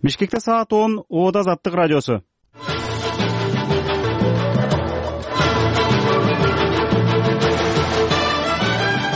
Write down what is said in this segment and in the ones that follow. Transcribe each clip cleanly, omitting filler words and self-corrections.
Бишкекте саат 10, Оода Азаттык радиосу.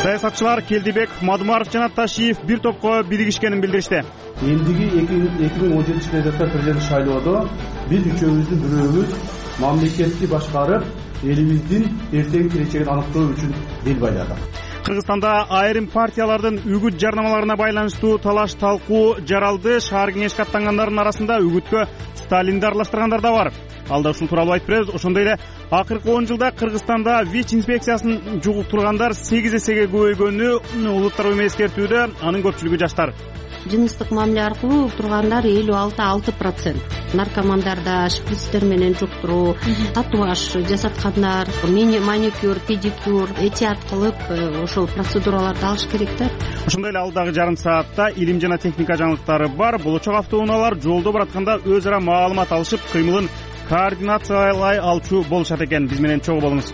Саясатчылар Келдибек, Мадумаров жана Ташиев бир топко биригишкенин билдиришти. Элдиги 2017 жылы президент шайлоодо биз үчөөбүздүн бирөөбүз мамлекетти башкарып, элибиздин эртең келечегин аныктоо үчүн бел байладык. Кыргызстанда айрым партиялардын үгүт жарнамаларына байланыштуу талаш-талкуу жаралды. Шаар кеңешке аттангандардын арасында үгүткө Сталинди аралаштыргандар да бар. Алда ушул тууралуу айтып беребиз. Ошондой эле акыркы 10 жылда Кыргызстанда ВИЧ инспекциясын жугуктургандар 8 эсеге көбөйгөнү улуттар уюму эскертүүдө. Анын көпчүлүгү жаштар. Жыныстык мамиле аркылуу тургандар 56%. Наркомандарда шприцтер менен жуктуруу, татуаж жасаткандар, маникюр, педикюр, этият кылып ошол процедураларды алыш керек да. Ошондой эле алдагы жарым саатта илим жана техника жаңылыктары бар. Болочок автоунаалар жолдо баратканда өз ара маалымат алышып, кыймылын координациялай алчу болушат экен. Биз менен чогуу болуңуз.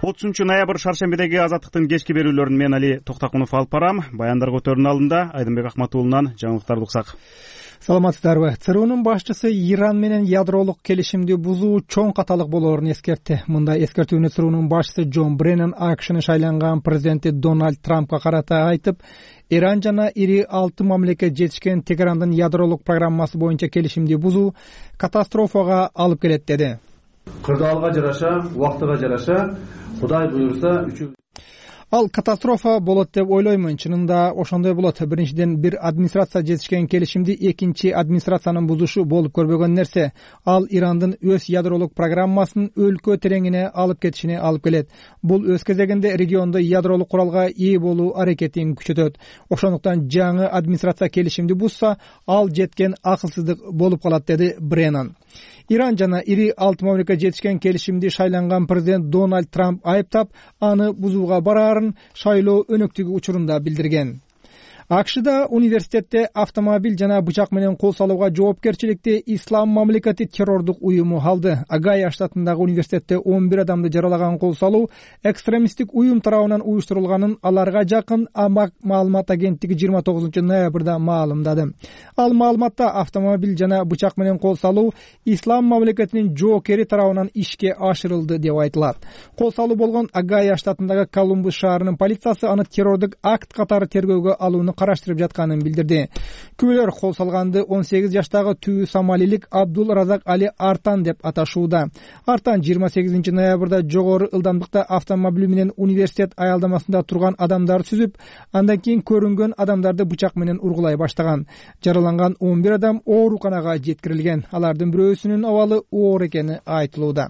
30 ноябрь шаршембидеги Азаттыктын кечки берүүлөрүн мен Али Токтакунов алып барам. Баяндар көтөрүүнүн алдында Айдынбек Акматуулунан жаңылыктарды уксак. Саламатсыздарбы? ЦРУнун башчысы Иран менен ядролук келишимди бузуу чоң каталык болоорун эскертти. Мындай эскертүүнү ЦРУнун башчысы Джон Бреннан АКШнын шайланган президенти Дональд Трампка карата айтып, Иран жана ири 6 мамлекет жетишкен Тегерандын ядролук программасы боюнча келишимди бузуу катастрофага алып келет деди. Кырдаалга жараша, убактыга жараша, Кудай буйрса Ал катастрофа болот деп ойлоймун. Чынында ошондой болот. Биринчиден, бир администрация жетишкен келишимди экинчи администрациянын бузушу болуп көрбөгөн нерсе. Ал Ирандын өз ядролук программасын өлкө тереңине алып кетишине алып келет. Бул өз кезегинде региондо ядролук куралга ээ болуу аракетин күчөтөт. Ошондуктан жаңы администрация келишимди бузса, ал жеткен акылсыздык болуп калат, деди Бреннан. Иран жана ири 6 мамлекет жетишкен келишимди шайланган президент Дональд Трамп айыптап, аны бузууга бараарын шайлоо өнөктүгү учурунда билдирген. АКШда университетте автомобиль жана бычак менен кол салууга жоопкерчиликти Ислам мамлекети террордук уюму алды. Огайо штатындагы университетте 11 адамды жаралаган кол салуу экстремисттик уюм тарабынан уюштурулганын аларга жакын Амак маалымат агенттиги 29 ноябрда маалымдады. Ал маалыматта автомобиль жана бычак менен кол салуу Ислам мамлекетинин жоокери тарабынан ишке ашырылды деп айтылат. Кол салуу болгон Огайо штатындагы Колумбус шаарынын полициясы аны террордук акт катары тергөөгө алууну караштырып жатканын билдирди. Күбөлөр кол салганды 18 жаштагы түү сомалилик Абдул Разак Али Артан деп аташууда. Артан 28 ноябрда жогору ылдамдыкта автомобили менен университет аялдамасында турган адамдарды сүзүп, андан кийин көрүнгөн адамдарды бычак менен ургулай баштаган. Жараланган 11 адам ооруканага жеткирилген. Алардын бирөөсүнүн абалы оор экени айтылууда.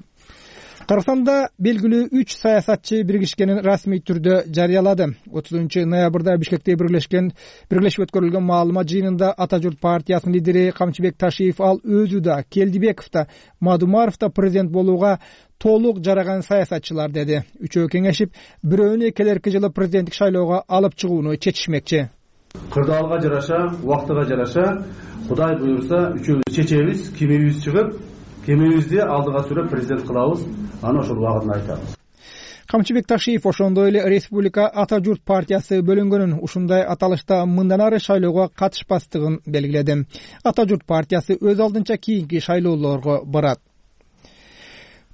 Кыргызстанда белгилүү 3 саясатчы биригишкенин расмий түрдө жарыялады. 30 ноябрда Бишкекте бирилешип өткөрүлгөн маалымат жыйынында Ата журт партиясынын лидери Камчыбек Ташиев ал өзү да, Келдибеков да, Мадумаров да президент болууга толук жараган саясатчылар деди. Үчөө кеңешип, бирөөнү келерки жылы президенттик шайлоого алып чыгууну чечишмекчи. Кырдаалга жараша, убактыга жараша, Кудай буйрса үчөөбүз чечебиз, кимибиз чыгып, кимибизди алдыга сүрөп президент кылабыз. Аны ошол убагында айтабыз. Камчыбек Ташиев ошондой эле Республика Ата журт партиясы бөлүнгөнүн, ушундай аталышта мындан ары шайлоого катышпастыгын белгиледи. Ата журт партиясы өз алдынча кийинки шайлоолорго барат.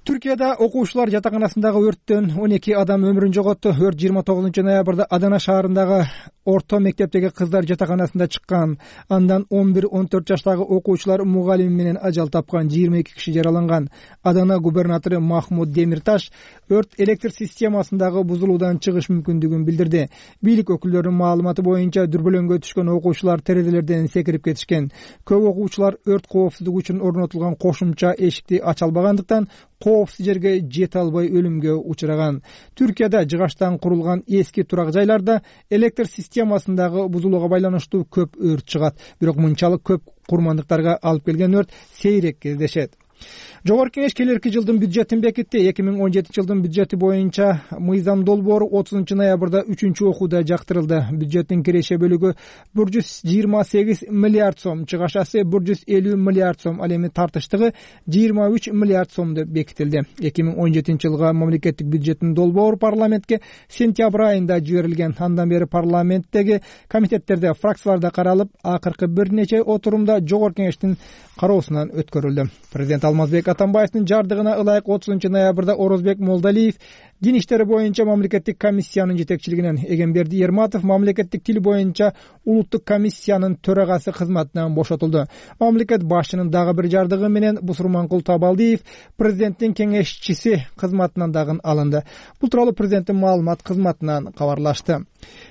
Түркияда окуучулар жатаканасындагы өрттөн 12 адам өмүрүн жоготту. Өрт 29 ноябрда Адана шаарындагы орто мектептеги кыздар жатаканасында чыккан. Андан 11-14 жаштагы окуучулар мугалими менен ажал тапкан, 22 киши жараланган. Адана губернатору Махмуд Демирташ өрт электр системасындагы бузулуудан чыгыш мүмкүндүгүн билдирди. Бийлик өкүлдөрүнүн маалыматы боюнча дүрбөлөңгө түшкөн окуучулар терезелерден секирип кетишкен. Көп окуучулар өрт коопсуздугу үчүн орнотулган кошумча эшикти ача албагандыктан коопсуз жерге жете албай өлүмгө учураган. Түркияда жыгачтан курулган эски турак жайларда электр системасындагы бузулууга байланыштуу көп өрт чыгат. Бирок мынчалык көп курмандыктарга алып келген өрт сейрек кездешет. Жогорку Кеңеш келерки жылдын бюджетин бекитти. 2017 жылдын бюджети боюнча мыйзам долбоору 30 ноябрда 3 окууда жактырылды. Бюджеттин киреше бөлүгү 128 миллиард сом, чыгашасы 150 миллиард сом, ал эми тартыштыгы 23 миллиард сом деп бекитилди. 2017 жылга мамлекеттик бюджеттин долбоору парламентке сентябрь айында жиберилген. Андан бери парламенттеги комитеттерде, фракцияларда каралып, акыркы бир нече отурумда Жогорку Кеңештин кароосунан өткөрүлдү. Президент Алмазбек Атамбаевдин жардыгына ылайык 30 ноябрда Орозбек Молдалиев дин иштери боюнча мамлекеттик комиссиянын жетекчилигинен, Эгемберди Ерматов мамлекеттик тил боюнча улуттук комиссиянын төрагасы кызматынан бошотулду. Мамлекет башчынын дагы бир жардыгы менен Бусурманкул Табалдиев президенттин кеңешчиси кызматынан дагы алынды. Бул тууралуу президенттин маалымат кызматынан кабарлашты.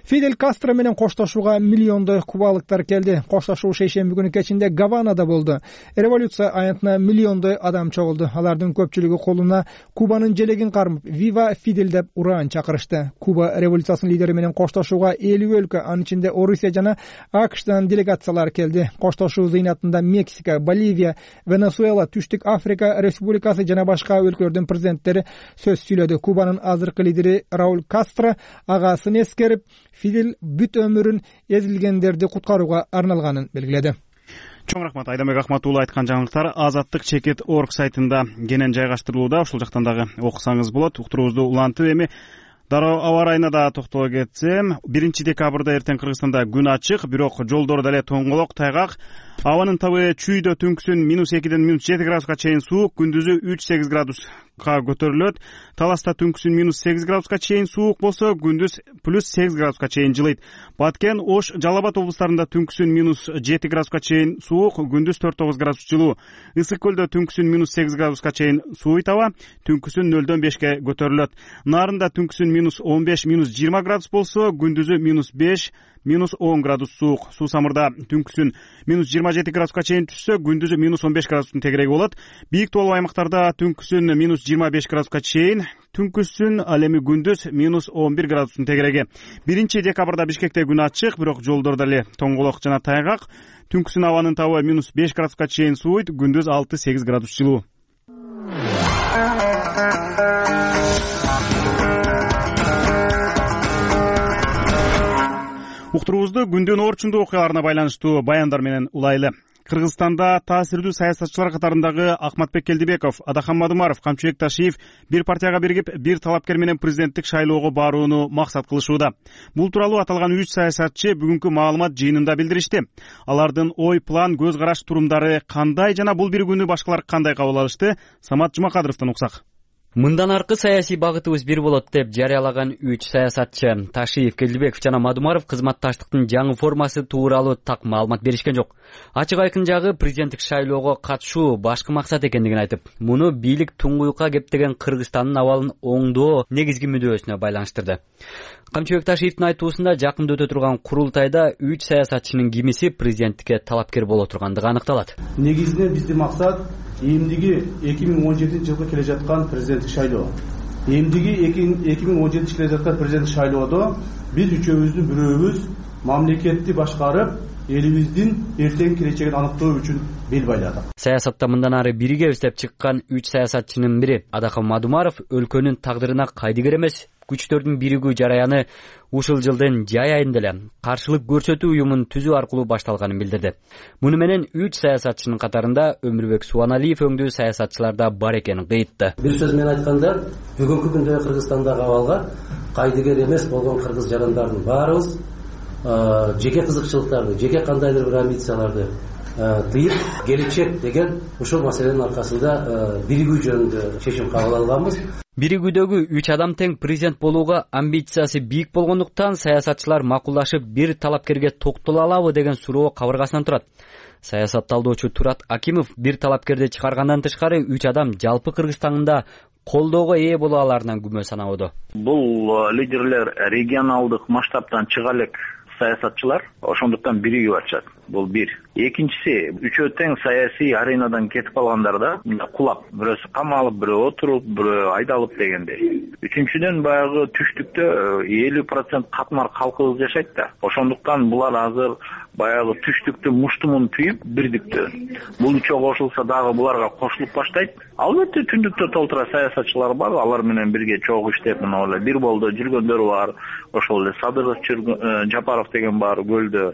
Фидель Кастро менен коштошууга миллиондой кубалыктар келди. Коштошуу шейшемби күнү кечинде Гаванада болду. Революция аянтына миллиондой адам чогулду. Алардын көпчүлүгү колуна Кубанын желегин кармап, Вива Фидель деп ураан чакырышты. Куба революциясынын лидери менен коштошууга 50 өлкө, анын ичинде Орусия жана АКШдан делегациялар келди. Коштошуу зыйнатында Мексика, Боливия, Венесуэла, Түштүк Африка Республикасы жана башка өлкөлөрдүн президенттери сөз сүйлөдү. Кубанын азыркы лидери Рауль Кастро агасын эскерип, Фидель бүт өмүрүн эзилгендерди куткарууга арналганын белгиледи. Чоң рахмат, Айдамбек Ахматуулу айткан жаңылыктар Азаттык.чекит.орг сайтында кенен жайгаштырылууда. Ушул жактан дагы окусаңыз болот. Уктуруубузду улантып, эми дароо аба ырайына да токтоло кетсем, 1 декабрда эртең Кыргызстанда күн ачык, бирок жолдор дале тоңголок, тайгак. Абанын табы чүйдө түнкүсүн -2ден -7 градуска чейин суук, күндүзү 3-8 градуска көтөрүлөт. Таласта түнкүсүн -8 градуска чейин суук болсо, күндүз +8 градуска чейин жылыйт. Баткен, Ош, Жалал Абад облустарында түнкүсүн -7 градуска чейин суук, күндүз 4-9 градус жылуу. Ысык көлдө түнкүсүн -8 градуска чейин сууйт аба, түнкүсүн 0-дөн 5ке көтөрүлөт. Нарында түнкүсүн -15, -20 градус болсо, күндүзү -5, -10 градус суук. Суу самырда түнкүсүн -27 градуска чейин түшсө, күндүзү -15 градустун тегереги болот. Бийик тоолуу аймактарда түнкүсүн -25 градуска чейин, түнкүсүн ал эми күндүз -11 градустун тегереги. 1 декабрда Бишкекте күн ачык, бирок жолдор дале тоңголок жана тайгак. Түнкүсүн абанын табы -5 градуска чейин сууйт, күндүз 6-8 градус жылуу. Уктуруубузду күндүн орчундуу окуяларына байланыштуу баяндар менен улайлы. Кыргызстанда таасирдүү саясатчылар катарындагы Акматбек Келдибеков, Адахан Мадумаров, Камчыбек Ташиев бир партияга биригип, бир талапкер менен президенттик шайлоого барууну максат кылышууда. Бул тууралуу аталган 3 саясатчы бүгүнкү маалымат жыйынында билдиришти. Алардын ой, план, көз караш, турумдары кандай жана бул биригүүнү башкалар кандай кабыл алышты? Самат Жумакадыровдон уксак. Мындан аркы саясий багытыбыз бир болот деп жарыялаган 3 саясатчы Ташиев, Келдибеков жана Мадумаров кызматташтыктын жаңы формасы тууралуу так маалымат беришкен жок. Ачык айкын жагы президенттик шайлоого катышуу башкы максат экендигин айтып, муну бийлик туңгуйукка кептеген Кыргызстандын абалын оңдоо негизги мүдөөсүнө байланыштырды. Камчыбек Ташиевдин айтуусунда жакында өтө турган курултайда 3 саясатчынын кимиси президенттикке талапкер боло тургандыгы аныкталат. Негизинен биздин максат эмдиги 2017 жылга келе жаткан президенттик шайлоо. Эмдиги 2017 келе жаткан президенттик шайлоодо биз үчөөбүздүн бирөөбүз мамлекетти башкарып, элибиздин эртең келечегин аныктоо үчүн бел байладык. Саясатта мындан ары биригебиз деп чыккан 3 саясатчынын бири Адахан Мадумаров өлкөнүн тагдырына кайдыгер эмес күчтөрдүн биригүү жараяны ушул жылдын жай айында эле каршылык көрсөтүү уюмун түзүү аркылуу башталганын билдирди. Муну менен 3 саясатчынын катарында Өмүрбек Субаналиев өңдүү саясатчылар да бар экенин кыйтты. Бир сөз менен айтканда, бүгүнкү күндө Кыргызстандагы абалга кайдыгер эмес болгон кыргыз жарандардын баарыбыз жеке кызыкчылыктарды, жеке кандайдыр бир амбицияларды тыйып, келечек деген ушул маселенин аркасында биригүү жөнүндө чечим кабыл алганбыз. Биригүүдөгү 3 адам тең президент болууга амбициясы бийик болгондуктан саясатчылар макулдашып бир талапкерге токтоло алабы деген суроо кабыргасынан турат. Саясат талдоочу Турат Акимов бир талапкерди чыгаргандан тышкары 3 адам жалпы Кыргызстанда колдоого ээ боло аларынан күмө санабыды. Бул лидерлер регионалдык масштабтан чыга элек саясатчылар, ошондуктан биригип атышат. Бул бир. Экинчиси, үчөө тең саясий аренадан кетип калгандарды кулап, бирөөсү камалып, бирөө отуруп, бирөө айдалып дегендей. Үчүнчүдөн баягы түштүктө 50% катмар калкыбыз жашайт да. Ошондуктан булар азыр баягы түштүктү муштумун түйүп бирдикти. Бул үчөө кошулса дагы буларга кошулуп баштайт. Албетте түндүктө толтура саясатчылар бар, алар менен бирге чогуу иштеп, мына эле бир болдо жүргөндөр бар. Ошол эле Садыров Жапаров деген бар, көлдө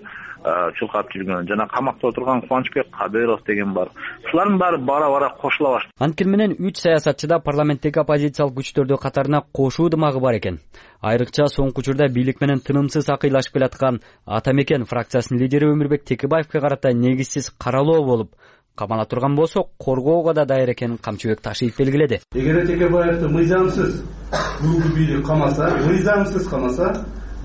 чулкап жүргөн, жана камакта отурган Кубанычбек Кадыров деген бар. Сулардын баары бара-бара кошула баштады. Анткени менен 3 саясатчыда парламенттеги оппозициялык күчтөрдү катарына кошуу дымагы бар экен. Айрыкча соңку учурда бийлик менен тынымсыз акыйлашып келаткан Ата Мекен фракциясынын лидери Өмүрбек Текебаевке карата негизсиз каралоо болуп камала турган болсо, коргоого да даяр экенин Камчыбек Ташиев белгиледи. Эгер Текебаевди мыйзамсыз бүгүнкү бийлик камаса,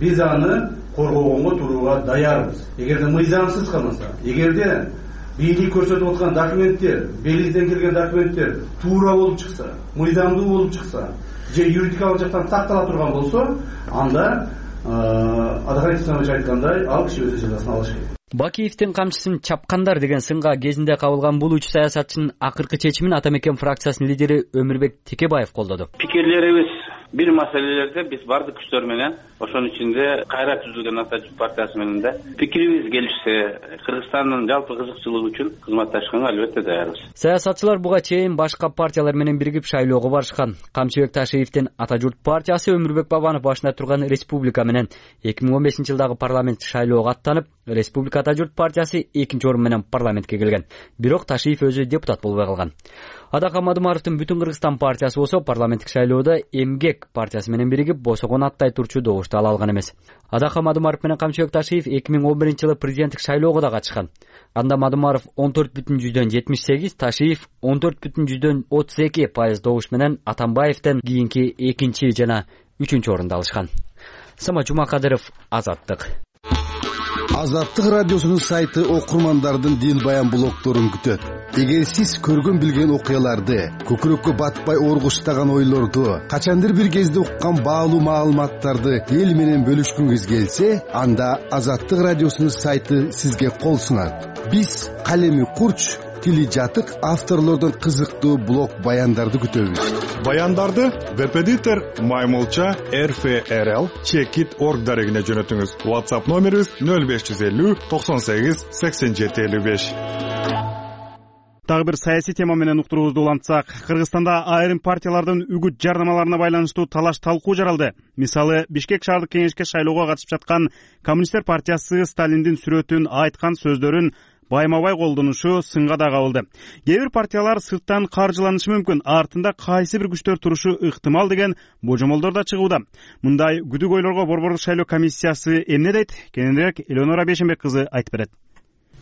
биз аны коргоого турууга даярбыз. Эгерде мыйзамсыз камаса, эгерде бийлик көрсөтүп аткан документтер, белизден келген документтер туура болуп чыкса, мыйзамдуу болуп чыкса, же юридикалык жактан сактала турган болсо, анда Адахай Исламович айткандай, ал киши өз жазасын алыш керек. Бакиевдин камчысын чапкандар деген сынга кезинде кабылган бул 3 саясатчынын акыркы чечимин Ата Мекен фракциясынын лидери Өмүрбек Текебаев колдоду. Пикирлерибиз бир маселелерде биз бардык күчтөр менен, ошонун ичинде кайра түзүлгөн Ата Журт партиясы менен да пикирибиз келишсе, Кыргызстандын жалпы кызыкчылыгы үчүн кызматташканга албетте даярбыз. Саясатчылар буга чейин башка партиялар менен биригип шайлоого барышкан. Камчыбек Ташиевдин Ата Журт партиясы Өмүрбек Бабанов башында турган Республика менен 2015-жылдагы парламент шайлоого аттанып, Республика Ата Журт партиясы 2-орун менен парламентке келген. Бирок Ташиев өзү депутат болбой калган. Адака Мадумаровдун Бүтүн Кыргызстан партиясы болсо парламенттик шайлоодо Эмгек партиясы менен биригип босогон аттай турчу добушту ала алган эмес. Адака Мадумаров менен Камчыбек Ташиев 2011-жылы президенттик шайлоого да катышкан. Анда Мадумаров 14,78, Ташиев 14,32% добуш менен Атамбаевден кийинки 2 жана 3-орунду алышкан. Сама Жумакадыров, Азаттык. Азаттык радиосунун сайты окурмандардын дил баян блогдорун күтөт. Эгер сиз көргөн билген окуяларды, көкүрөккө батпай оргуштаган ойлорду, качандыр бир кезде уккан баалуу маалыматтарды эл менен бөлүшкүңүз келсе, анда Азаттык радиосунун сайты сизге кол сунат. Биз калеми курч, тили жатык авторлордон кызыктуу блог баяндарды күтөбүз. Баяндарды Веб-эдитор myMulcha.rfrl.org дарегине жөнөтүңүз. WhatsApp номерибиз 0550 98 87 55. Дагы бир саясий тема менен уктуруубузду улантсак, Кыргызстанда айрым партиялардын үгүт жарнамаларына байланыштуу талаш талкуу жаралды. Мисалы, Бишкек шаардык кеңешке шайлоого катышып жаткан Коммунисттер партиясы Сталиндин сүрөтүн, айткан сөздөрүн байма-бай колдонушу сынга да кабылды. Кээ бир партиялар сырттан каржыланышы мүмкүн, артында кайсы бир күчтөр турушу ыктымал деген божомолдор да чыгууда. Мындай күдүк ойлорго Борбордук шайлоо комиссиясы эмне дейт? Кененирээк Элеонора Бешенбек кызы айтып берет.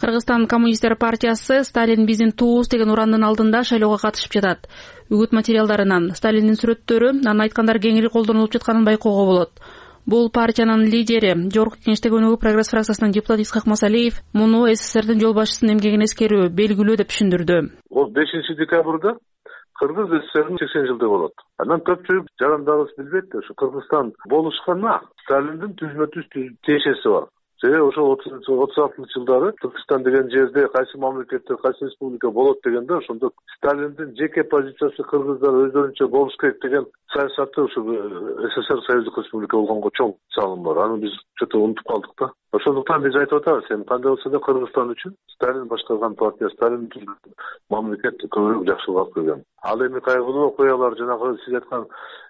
Кыргызстан Коммунисттер партиясы Сталин биздин туубуз деген урандын алдында шайлоого катышып жатат. Үгүт материалдарынан Сталиндин сүрөттөрү, анын айткандары кеңири колдонулуп жатканын байкоого болот. Бул партиянын лидери, Жогорку Кеңештеги өнүгүү Прогресс фракциясынын депутаты Исхак Масалиев муну СССРдин жол башчысынын эмгегин эскерүү белгилүү деп түшүндүрдү. Ол 5-декабрда Кыргыз СССРдин 80 жылдыгы болот. Анан көпчүлүк жарандарыбыз билбейт, ошо Кыргызстан болушканда Сталиндин түзмө-түз тиешеси бар. Ошол 36-жылдары Түркистан деген жерде кайсы мамлекеттер, кайсы республика болот дегенде, ошондо Сталиндин жеке позициясы кыргыздар өздөрүнчө болуш керек деген саясаты ошо СССР Союздук Республика болгонго чоң салым бар. Аны биз чөтө унутуп калдык да. Ошондуктан биз айтып атабыз, эми кандай болсо да Кыргызстан үчүн Сталин башкарган партия, Сталин түзгөн мамлекет көбүрөөк жакшылык алып келген. Ал эми кайгылуу окуялар, жанагы сиз айткан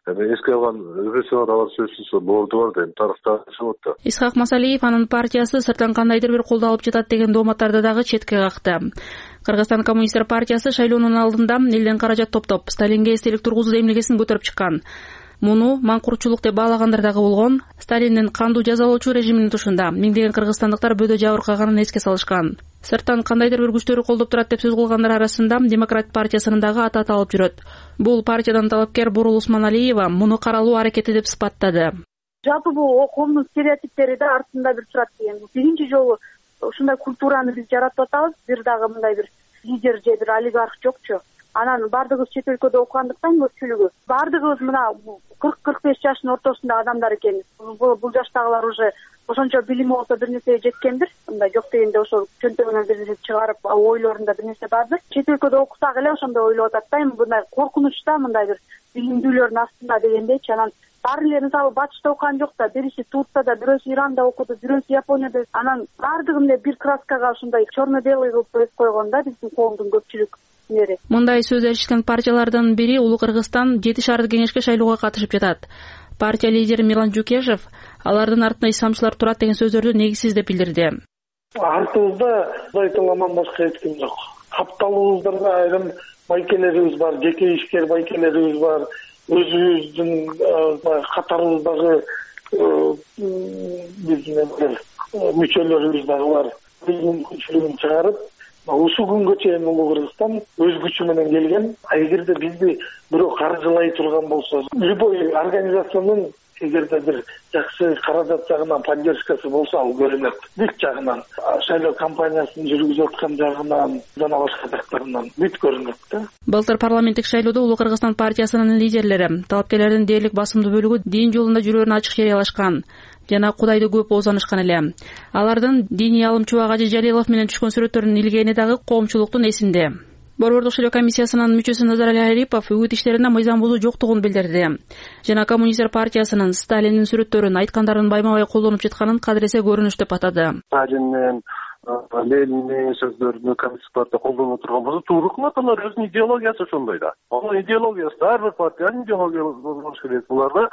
эске алган репрессиялар, алар сөзсүз боорду бар дейм, тарыхта чыгып атты. Исхак Масалиев анын партиясы сырттан кандайдыр бир колдоо алып жатат деген дооматтарды дагы четке какты. Кыргызстан Коммунисттер партиясы шайлоонун алдында элден каражат топтоп, Сталинге эстелик тургузуу эмнегесин көтөрүп чыккан. Муну маңкуртчулук деп баалагандар дагы болгон. Сталиндин кандуу жазалоочу режиминин тушунда миңдеген кыргызстандыктар бөдө жабыркаганын эске салышкан. Сырттан кандайдыр бир күчтөрү колдоп турат деп сөз кылгандар арасында Демократ партиясынын дагы аты аталып жүрөт. Бул партиядан талапкер Бурул Усманалиева муну каралуу аракети деп сыпаттады. Жалпы бул коомдун стереотиптери да артында бир турат деген. Биринчи жолу ушундай культураны биз жаратып атабыз. Бир дагы мындай бир лидер же бир олигарх жокчу. Анан бардыгыбыз чет өлкөдө окугандыктан көпчүлүгү бардыгыбыз мына 40-45 жаштын ортосундагы адамдар экенбиз. Бул жаштагылар уже ошончо билими болсо бир нерсеге жеткендир. Мындай жок дегенде ошол чөнтөгүнөн бир нерсе чыгарып, ойлорунда бир нерсе бардыр. Чет өлкөдө окусак эле ошондой ойлоп атат да, эми мындай коркунучта, мындай бир билимдүүлөрдүн астында дегендейчи. Анан баары эле мисалы батышта окуган жок да, бирisi Турцияда, бирөөсү Иранда окуду, бирөөсү Японияда. Анан баардыгын эле бир краскага ушундай черно-белый кылып өтүп койгон да биздин коомдун көпчүлүк. Мындай сөз эришкен партиялардын бири Улуу Кыргызстан 7 шаардык кеңешке шайлоого катышып жатат. Партия лидери Мирлан Жукешев алардын артында исламчылар турат деген сөздөрдү негизсиз деп билдирди. Артыбызда Кудайталаман башка эч ким жок. Капталыбыздарда айрым байкелерибиз бар, жеке ишкер байкелерибиз бар, өзүбүздүн катарыбыздагы биздин мүчөлөрүбүз дагы бар. Биздин күчүлүгүн чыгарып, ушул күнгө чейин Улуу Кыргызстан өз күчү менен келген. Эгерде бизди бирөө каржылай турган болсо, любой организациянын эгерде бир жакшы каражат жагынан поддержкасы болсо, ал көрүнөт. Бүт жагынан, шайлоо кампаниясын жүргүзүп аткан жагынан, жана башка жактарынан бүт көрүнөт да. Былтыр парламенттик шайлоодо Улуу Кыргызстан партиясынын лидерлери талапкерлердин дээрлик басымдуу бөлүгү дин жолунда жүрөөрүн ачык жарыялашкан жана Кудайды көп оозданышкан эле. Алардын диний алым Чубак Ажы Жалилов менен түшкөн сүрөттөрүн илгени дагы коомчулуктун эсинде. Борбордук шайлоо комиссиясынын мүчөсү Назарали Арипов үгүт иштеринде мыйзам бузуу жоктугун билдирди. Жана коммунисттер партиясынын Сталиндин сүрөттөрүн айткандарын байма-бай колдонуп жатканын кадыресе көрүнүш деп атады. Сталиндин, Лениндин сөздөрүнү коммунисттик партия колдонуп турган болсо, туура кылат. Алар өзүнүн идеологиясы ошондой да. Анын идеологиясы ар бир партиянын идеологиясы болуш керек. Буларда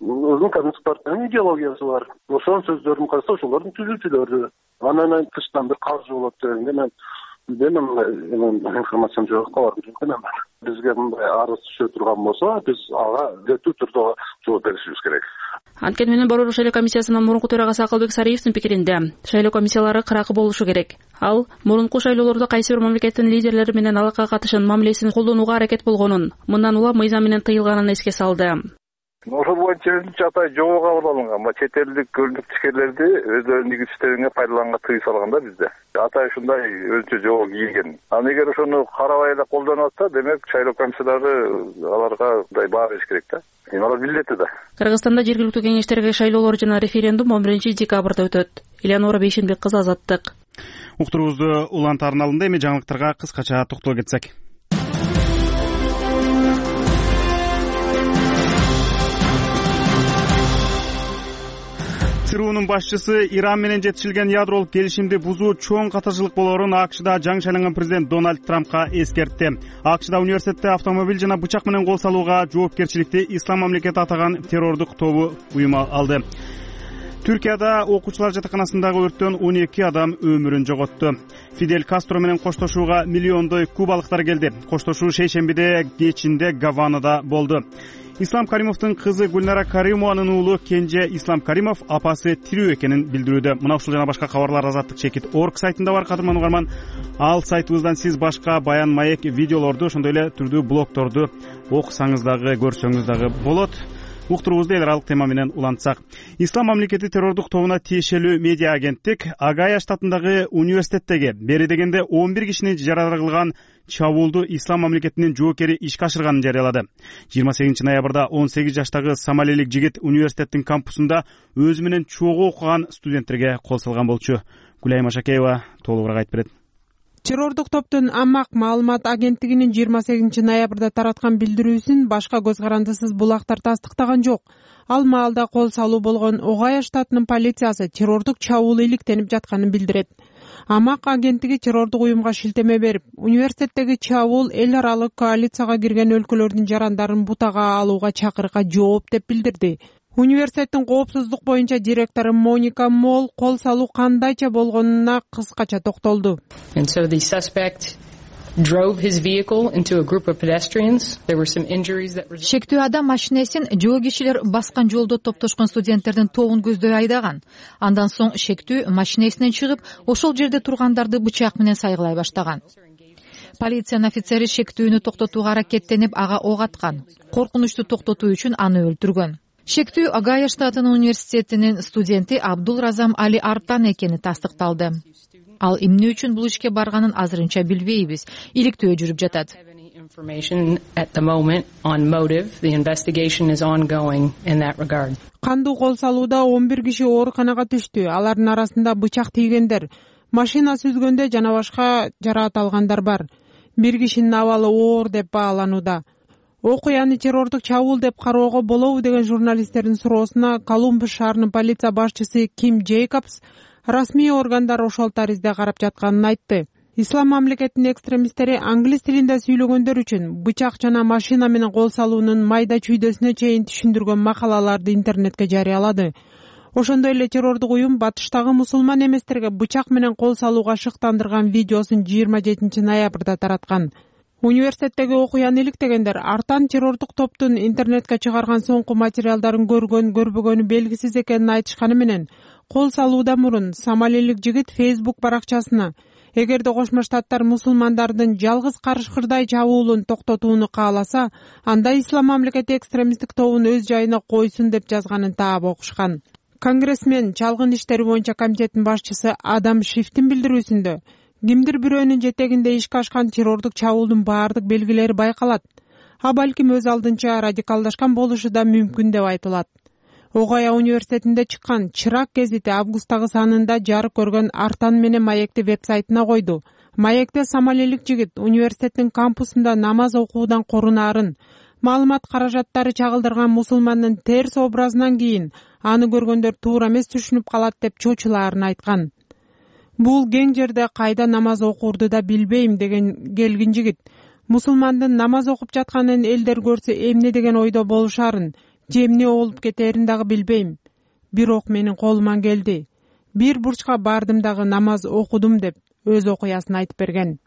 өзүнүн коммунисттик партиянын идеологиясы бар. Ошонун сөздөрүн караса, ошолордун түзүүчүлөрү. Анан тыштан бир каржы болот дегенде мен информациям жок, кабарым жок экен. Бизге мындай арыз түшө турган болсо, биз ага жетүү түрдө жооп беришибиз керек. Анткени менен Борбордук шайлоо комиссиясынын мурунку төрагасы Акылбек Сариевдин пикиринде шайлоо комиссиялары кыракы болушу керек. Ал мурунку шайлоолордо кайсы бир мамлекеттин лидерлери менен алака катышын мамилесин колдонууга аракет болгонун, мындан улам мыйзам менен тыйылганын эске салды. Ошол боюнча Чатай жобо кабыл алынган. Чет элдик көрүнүк ишкерлерди өздөрүнүн игил иштерине пайдаланганга тыюу салганда бизде. Атай ушундай өзүнчө жобо кийген. Анан эгер ошону карабай эле колдонуп атса, демек шайлоо комиссиялары аларга мындай баа бериш керек да. Алар билет да. Кыргызстанда жергиликтүү кеңештерге шайлоолор жана референдум 11-декабрда өтөт. Элеонора Бейшенбек кызы, Азаттык. Уктуруубузду Улан тарналында эми жаңылыктарга кыскача токтоло кетсек. ЦРУнун башчысы Иран менен жетишилген ядролук келишимди бузуу чоң катарчылык болоорун АКШда жаңы шайланган президент Дональд Трампка эскертти. АКШда университетте автомобиль жана бычак менен кол салууга жоопкерчиликти Ислам мамлекети атаган террордук тобу уюма алды. Түркияда окуучулар жатаканасындагы өрттөн 12 адам өмүрүн жоготту. Фидель Кастро менен коштошууга миллиондой кубалыктар келди. Коштошуу шейшембиде кечинде Гаванада болду. Ислам Каримовдун кызы Гүлнара Каримованын уулу Кенже Ислам Каримов апасы тирүү экенин билдирүүдө. Мына ушул жана башка кабарлар Азаттык.org сайтында бар, кадырман угарман. Ал сайтыбыздан сиз башка баян, маек, видеолорду, ошондой эле түрдүү блогторду окусаңыз дагы, көрсөңүз дагы болот. Уктуруубузду эл аралык тема менен улантсак. Ислам мамлекети террордук тобуна тиешелүү медиа агенттик Огайо штатындагы университеттеги бери дегенде 11 кишини жарадар кылган чабуулду Ислам мамлекетинин жоокери ишке ашырганын жарыялады. 28 ноябрда 18 жаштагы сомалилик жигит университеттин кампусунда өзү менен чогуу окуган студенттерге кол салган болчу. Гүлайым Ашакеева толугураак айтып берет. Террордук топтун Амак маалымат агенттигинин 28 ноябрда тараткан билдирүүсүн башка көз карандысыз булактар тастыктаган жок. Ал маалда кол салуу болгон Огайо штатынын полициясы террордук чабуул иликтенип жатканын билдирет. Амак агенттиги террордук уюмга шилтеме берип, университеттеги чабуул эл аралык коалицияга кирген өлкөлөрдүн жарандарын бутага алууга чакырыкка жооп деп билдирди. Университеттин коопсуздук боюнча директору Моника Мол кол салуу кандайча болгонуна кыскача токтолду. Шектүү адам машинесин жөө кишилер баскан жолдо топтошкон студенттердин тобун көздөй айдаган. Андан соң шектүү машинесинен чыгып, ошол жерде тургандарды бычак менен сайгылай баштаган. Полициянын офицери шектүүнү токтотууга аракеттенип, ага ок аткан. Коркунучту токтотуу үчүн аны өлтүргөн. Шектүү Огайо штатынын университетинин студенти Абдул Разам Али Артан экени тастыкталды. Ал эмне үчүн бул ишке барганын азырынча билбейбиз. Иликтөө жүрүп жатат. Кандуу кол салууда 11 киши ооруканага түштү. Алардын арасында бычак тийгендер, машина сүзгөндө жана башка жараат алгандар бар. Bir кишинин абалы оор деп бааланууда. Окуяны террордук чабуул деп кароого болобу деген журналисттердин суроосуна Колумбус шаарынын полиция башчысы Ким Джейкобс расмий органдар ошол таризде карап жатканын айтты. Ислам мамлекетинин экстремисттери англис тилинде сүйлөгөндөр үчүн бычак жана машина менен кол салуунун майда чүйдөсүнө чейин түшүндүргөн макалаларды интернетке жарыялады. Ошондой эле террордук уюм батыштагы мусулман эместерге бычак менен кол салууга шыктандырган видеосун 27 ноябрда тараткан. Университеттеги окуяны иликтегендер артан террордук топтун интернетке чыгарган соңку материалдарын көрбөгөнү белгисиз экенин айтышканы менен, кол салуудан мурун сомалилик жигит Facebook баракчасына эгерде Кошмо Штаттар мусулмандардын жалгыз карышкырдай чабуулун токтотууну кааласа, анда Ислам мамлекети экстремисттик тобун өз жайына койсун деп жазганын таап окушкан. Конгрессмен чалгын иштери боюнча комитеттин башчысы Адам Шифтин билдирүүсүндө кимдир бирөөнүн жетегинде ишке ашкан террордук чабуулдун баардык белгилери байкалат. А балким өз алдынча радикалдашкан болушу да мүмкүн деп айтылат. Огайо университетинде чыккан Чырак гезити августтагы санында жарык көргөн Артан менен маекти вебсайтына койду. Маекте сомалилик жигит университеттин кампусунда намаз окуудан корунарын, маалымат каражаттары чагылдырган мусулмандын терс образынан кийин аны көргөндөр туура эмес түшүнүп калат деп чочулаарын айткан. Бул кең жерде кайда намаз окурду да билбейм деген келгин жигит мусулмандын намаз окуп жатканын элдер көрсө эмне деген ойдо болушарын, же эмне болуп кетерин дагы билбейм. Бирок менин колуман келди. Бир бурчка бардым дагы намаз окудум деп өз окуясын айтып берген.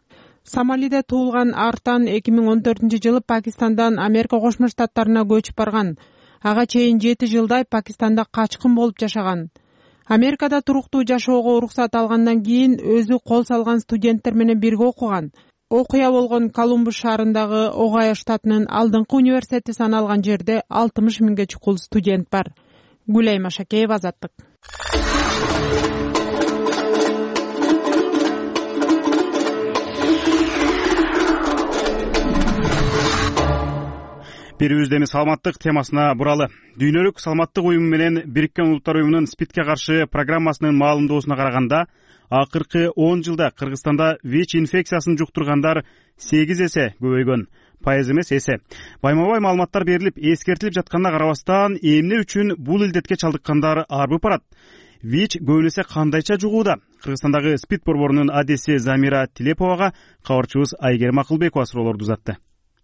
Сомалиде туулган Артан 2014-жылы Пакистандан Америка Кошмо Штаттарына көчүп барган. Ага чейин 7 жылдай Пакистанда качкын болуп жашаган. Америкада туруктуу жашоого уруксат алгандан кийин өзү кол салган студенттер менен бирге окуган. Окуя болгон Колумбус шаарындагы Огайо штатынын алдыңкы университети саналган жерде 60 миңге чукул студент бар. Гүлай Машакеева, Азаттык. Бирибизде эми саламаттык темасына буралы. Дүйнөлүк саламаттык уюму менен Бириккен Улуттар уюмунун СПИДке каршы программасынын маалымдоосуна караганда, акыркы 10 жылда Кыргызстанда ВИЧ инфекциясын жуктургандар 8 эсе көбөйгөн. Пайыз эмес, эсе. Байма-бай маалыматтар берилип, эскертилип жатканына карабастан, эмне үчүн бул илдетке чалдыккандар арбып барат? ВИЧ көбүнесе кандайча жугууда? Кыргызстандагы СПИД борборунун адеси Замира Тилеповага кабарчыбыз Айгерим Акылбекова суроолорду узатты.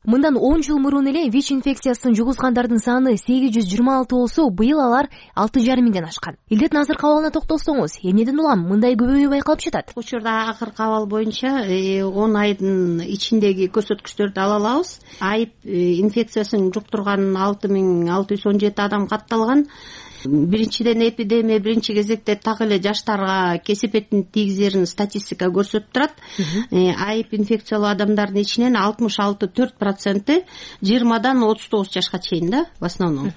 Мындан 10 жыл мурун эле ВИЧ инфекциясын жугузгандардын саны 826 болсо, быйыл алар 6,5 миңден ашкан. Илдеттин азыркы абалына токтолсоңуз, эмнеден улам мындай көбөйүү байкалып жатат? Учурда акыркы абал боюнча 10 айдын ичиндеги көрсөткүчтөрдү ала алабыз. Айып инфекциясын жуктурган 6617 адам катталган. Биринчиден эпидемия биринчи кезекте так эле жаштарга кесепетин тийгизерин статистика көрсөтүп турат. Айып инфекциялуу адамдардын ичинен 66,4% 20дан 39 жашка чейин да, в основном.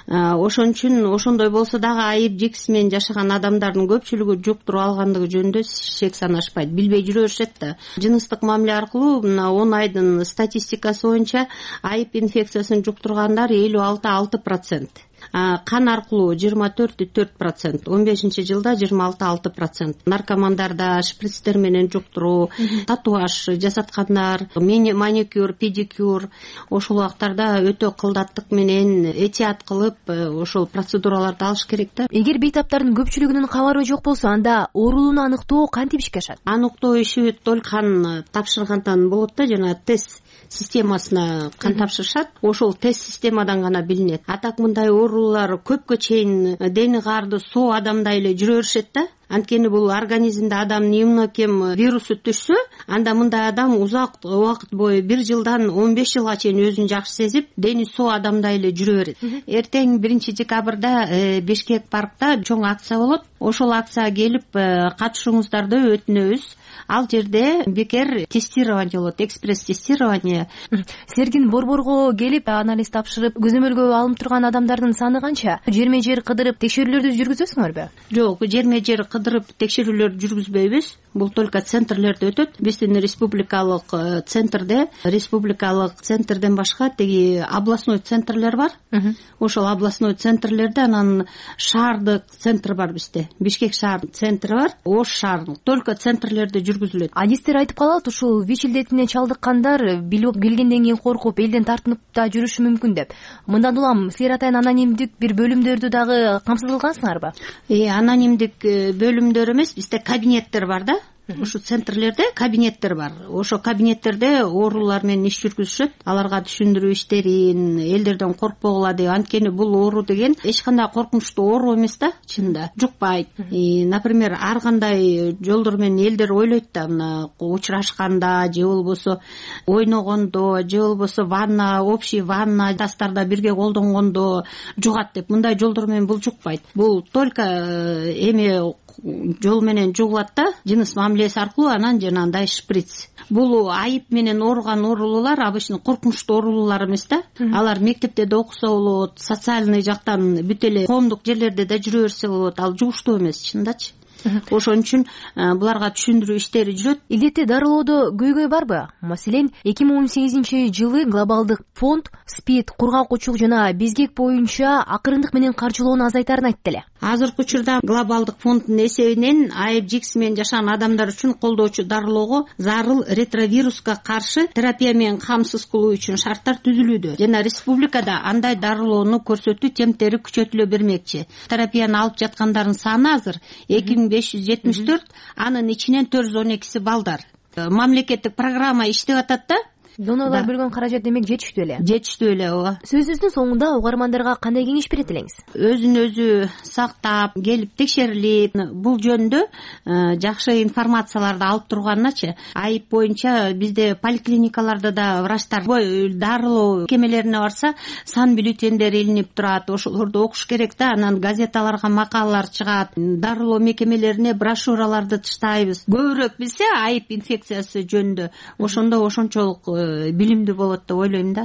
Ошон үчүн ошондой болсо дагы айып жикс менен жашаган адамдардын көпчүлүгү жуктуруп алгандыгы жөнүндө шек санашпайт, билбей жүрө беришет да. Жыныстык мамиле аркылуу мына 10 айдын статистикасы боюнча айып инфекциясын жуктургандар 56,6%. Кан аркылуу 24,4%, 15-жылда 26,6%. Наркомандарда шприцтер менен жуктуруу, татуаж жасаткандар, маникюр, педикюр, ошол убактарда өтө кылдаттык менен этият кылып, ошол процедураларды алыш керек да. Эгер бейтаптардын көпчүлүгүнүн кабары жок болсо, анда оорулууну аныктоо кантип ишке ашат? Аныктоо иши только кан тапшыргандан болот да, жана тест системасына кан тапшырышат. Ошол тест системадан гана билинет. Атак мындай оорулар көпкө чейин дени каарды соо адамдай эле жүрө беришет да. Анткени бул организмде адамдын иммунокем вирусу түшсө, анда мындай адам узак убакыт бою 1 жылдан 15 жылга чейин өзүн жакшы сезип, дени соо адамдай эле жүрө берет. Эртең 1-декабрда Бишкек паркта чоң акция болот. Ошол акцияга келип катышууңуздарды өтүнөбүз. Ал жерде бекер тестирование болот, экспресс тестирование. Сергин борборго келип анализ тапшырып, көзөмөлгө алынып турган адамдардын саны канча? Жерме-жер кыдырып текшерүүлөрдү жүргүзөсүңөрбү? Жок, жерме-жер кыдырып текшерүүлөрдү жүргүзбөйбүз. Бул только центрлерде өтөт. Биздин республикалык центрден башка теги областной центрлер бар. Ошол областной центрлерде анан шаардык центр бар бизде. Бишкек шаар центри бар. Ош шаарынын только центрлерде жүргүзүлөт. Адистер айтып калат, ушул ВИЧ илдетине чалдыккандар билгенден кийин коркуп элден тартынып да жүрүшү мүмкүн деп. Мындан улам силер атайын анонимдик бир бөлүмдөрдү дагы камсыз кылгансыңарбы? Анонимдик бөлүмдөр эмес, бизде кабинеттер бар да. Ушу центрлерде кабинеттер бар. Ошо кабинеттерде оорулар менен иш жүргүзүшөт. Аларга түшүндүрүү иштерин, элдерден коркпогула деп. Анткени бул оору деген эч кандай коркунучтуу оору эмес да, чынында. Жукпайт. Например, ар кандай жолдор менен элдер ойлойт да, мына учурашканда же болбосо ойногондо же болбосо ванна, общий ванна тастарда бирге колдонгондо жугат деп. Мындай жолдор менен бул жукпайт. Бул только эме жол менен жугулат да, жыныс мамилеси аркылуу, анан жанагындай шприц. Бул айып менен ооруган оорулуулар обычно коркунучтуу оорулуулар эмес да. Алар мектепте да окуса болот, социальный жактан бүт эле коомдук жерлерде да жүрө берсе болот. Ал жугуштуу эмес, чындачы. Ошон үчүн буларга түшүндүрүү иштери жүрөт. Илдетти дарылоодо көйгөй барбы? Маселен, 2018-жылы глобалдык фонд СПИД, кургак жана безгек боюнча акырындык менен каржылоону азайтарын айтты эле. Азыркы учурда глобалдык фонддун эсебинен АИДС менен жашаган адамдар үчүн колдоочу дарылоого зарыл ретровируска каршы терапия менен камсыз кылуу үчүн шарттар түзүлүүдө. Жана республикада андай дарылоону көрсөтүү темптери күчөтүлө бермекчи. Терапияны алып жаткандардын саны азыр 2574, анын ичинен 412си балдар. Мамлекеттик программа иштеп атат да. Донорлор бөлгөн каражат демек жетиштүү эле. Жетиштүү эле, ооба. Сөзүбүздүн соңунда угармандарга кандай кеңеш берет элеңиз? Өзүн өзү сактап, келип текшерилип, бул жөнүндө жакшы информацияларды алып турганначы, айып боюнча бизде поликлиникаларда да врачтар дарылоо мекемелерине барса, сан бюллетендер илинип турат. Ошолорду окуш керек да, анан газеталарга макалалар чыгат, дарылоо мекемелерине брошюраларды таштайбыз. Көбүрөөк билсе айып инфекциясы жөнүндө, ошондо ошончолук билимдүү болот деп ойлойм да.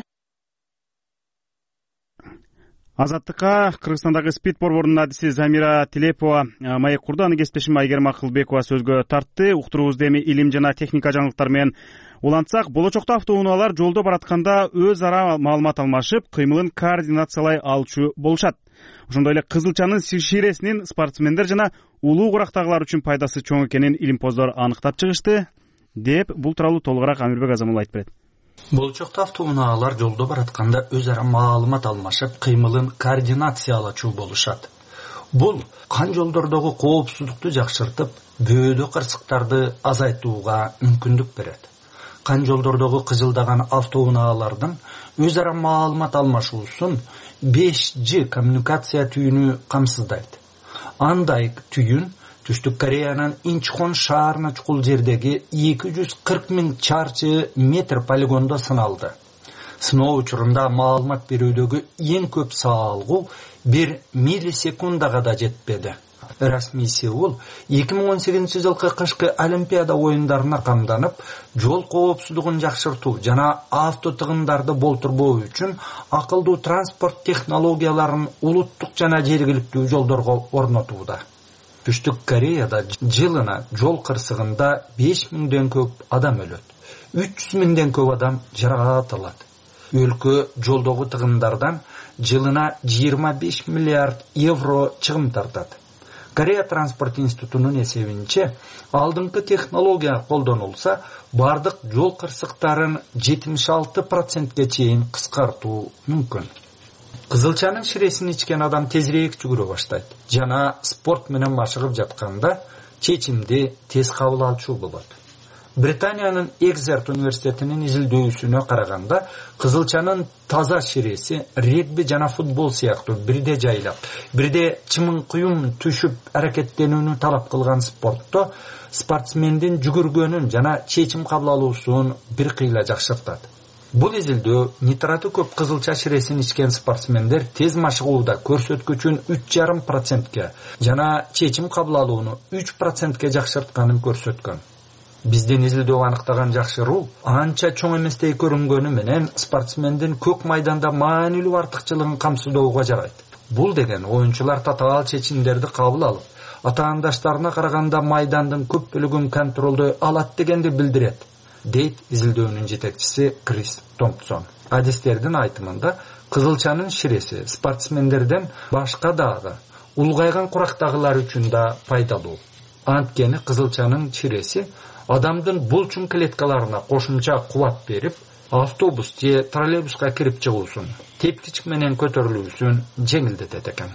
Азаттыкка Кыргызстандагы СПИД борборунун адиси Замира Тилепова маек курду. Аны кесиптешим Айгерим Акылбекова сөзгө тартты. Уктуруубузду эми илим жана техника жаңылыктары менен улантсак, болочокто автоунаалар жолдо баратканда өз ара маалымат алмашып, кыймылын координациялай алчу болушат. Ошондой эле кызылчанын ширесинин спортсмендер жана улуу курактагылар үчүн пайдасы чоң экенин илимпоздор аныктап чыгышты деп бул тууралуу толугураак Амирбек Азамулла айтып берет. Болочокто автоунаалар жолдо баратканда өз ара маалымат алмашып, кыймылын координациялачу болушат. Бул кан жолдордогу коопсуздукту жакшыртып, бөөдө кырсыктарды азайтууга мүмкүндүк берет. Кан жолдордогу кыжылдаган автоунаалардын өз ара маалымат алмашуусун 5G коммуникация түйүнү камсыздайт. Андай түйүн Түштүк Кореянын Инчхон шаарына чукул жердеги 240 000 чарчы метр полигондо сыналды. Сыноо учурунда маалымат берүүдөгү эң көп саалгуу 1 миллисекундага да жетпеди. Расмий Сеул 2018 жылкы кышкы Олимпиада оюндарына камданып, жол коопсуздугун жакшыртуу жана автотыгындарды болтурбоо үчүн акылдуу транспорт технологияларын улуттук жана жергиликтүү жолдорго орнотууда. Түштүк Кореяда жылына жол кырсыгында 5000ден көп адам өлөт. 300.000ден көп адам жаракат алат. Өлкө жолдогу тыгындардан жылына 25 миллиард евро чыгым тартат. Корея транспорт институтунун эсебинче, алдыңкы технология колдонулса, бардык жол кырсыктарын 76%ге чейин кыскартуу мүмкүн. Кызылчанын ширесин ичкен адам тезирээк жүгүрө баштайт жана спорт менен машыгып жатканда чечимди тез кабыл алчу болот. Британиянын Экзерт университетинин изилдөөсүнө караганда, кызылчанын таза ширеси регби жана футбол сыяктуу бирде жайлап, бирде чымын-куюм түшүп аракеттенүүнү талап кылган спортто спортсмендин жүгүргөнүн жана чечим кабыл алуусун бир кыйла жакшыртат. Бул изилдөө нитраты көп кызылча ширесин ичкен спортсмендер тез машыгууда көрсөткүчүн 3,5%ке жана чечим кабыл алууну 3%ке жакшыртканын көрсөткөн. Биздин изилдөө аныктаган жакшыруу анча чоң эместей көрүнгөнү менен спортсмендин көк майданда маанилүү артыкчылыгын камсыздоого жарайт. Бул деген оюнчулар татаал чечимдерди кабыл алып, атаандаштарына караганда майдандын көп бөлүгүн контролдой алат дегенди билдирет, дейт изилдөөнүн жетекчиси Крис Томпсон. Адистердин айтымында, кызылчанын ширеси спортсмендерден башка дагы улгайган курактагылар үчүн да пайдалуу. Анткени кызылчанын ширеси адамдын булчун клеткаларына кошумча кубат берип, автобус же троллейбуска кирип чыгуусун, тепкичик менен көтөрүлүүсүн жеңилдетет экен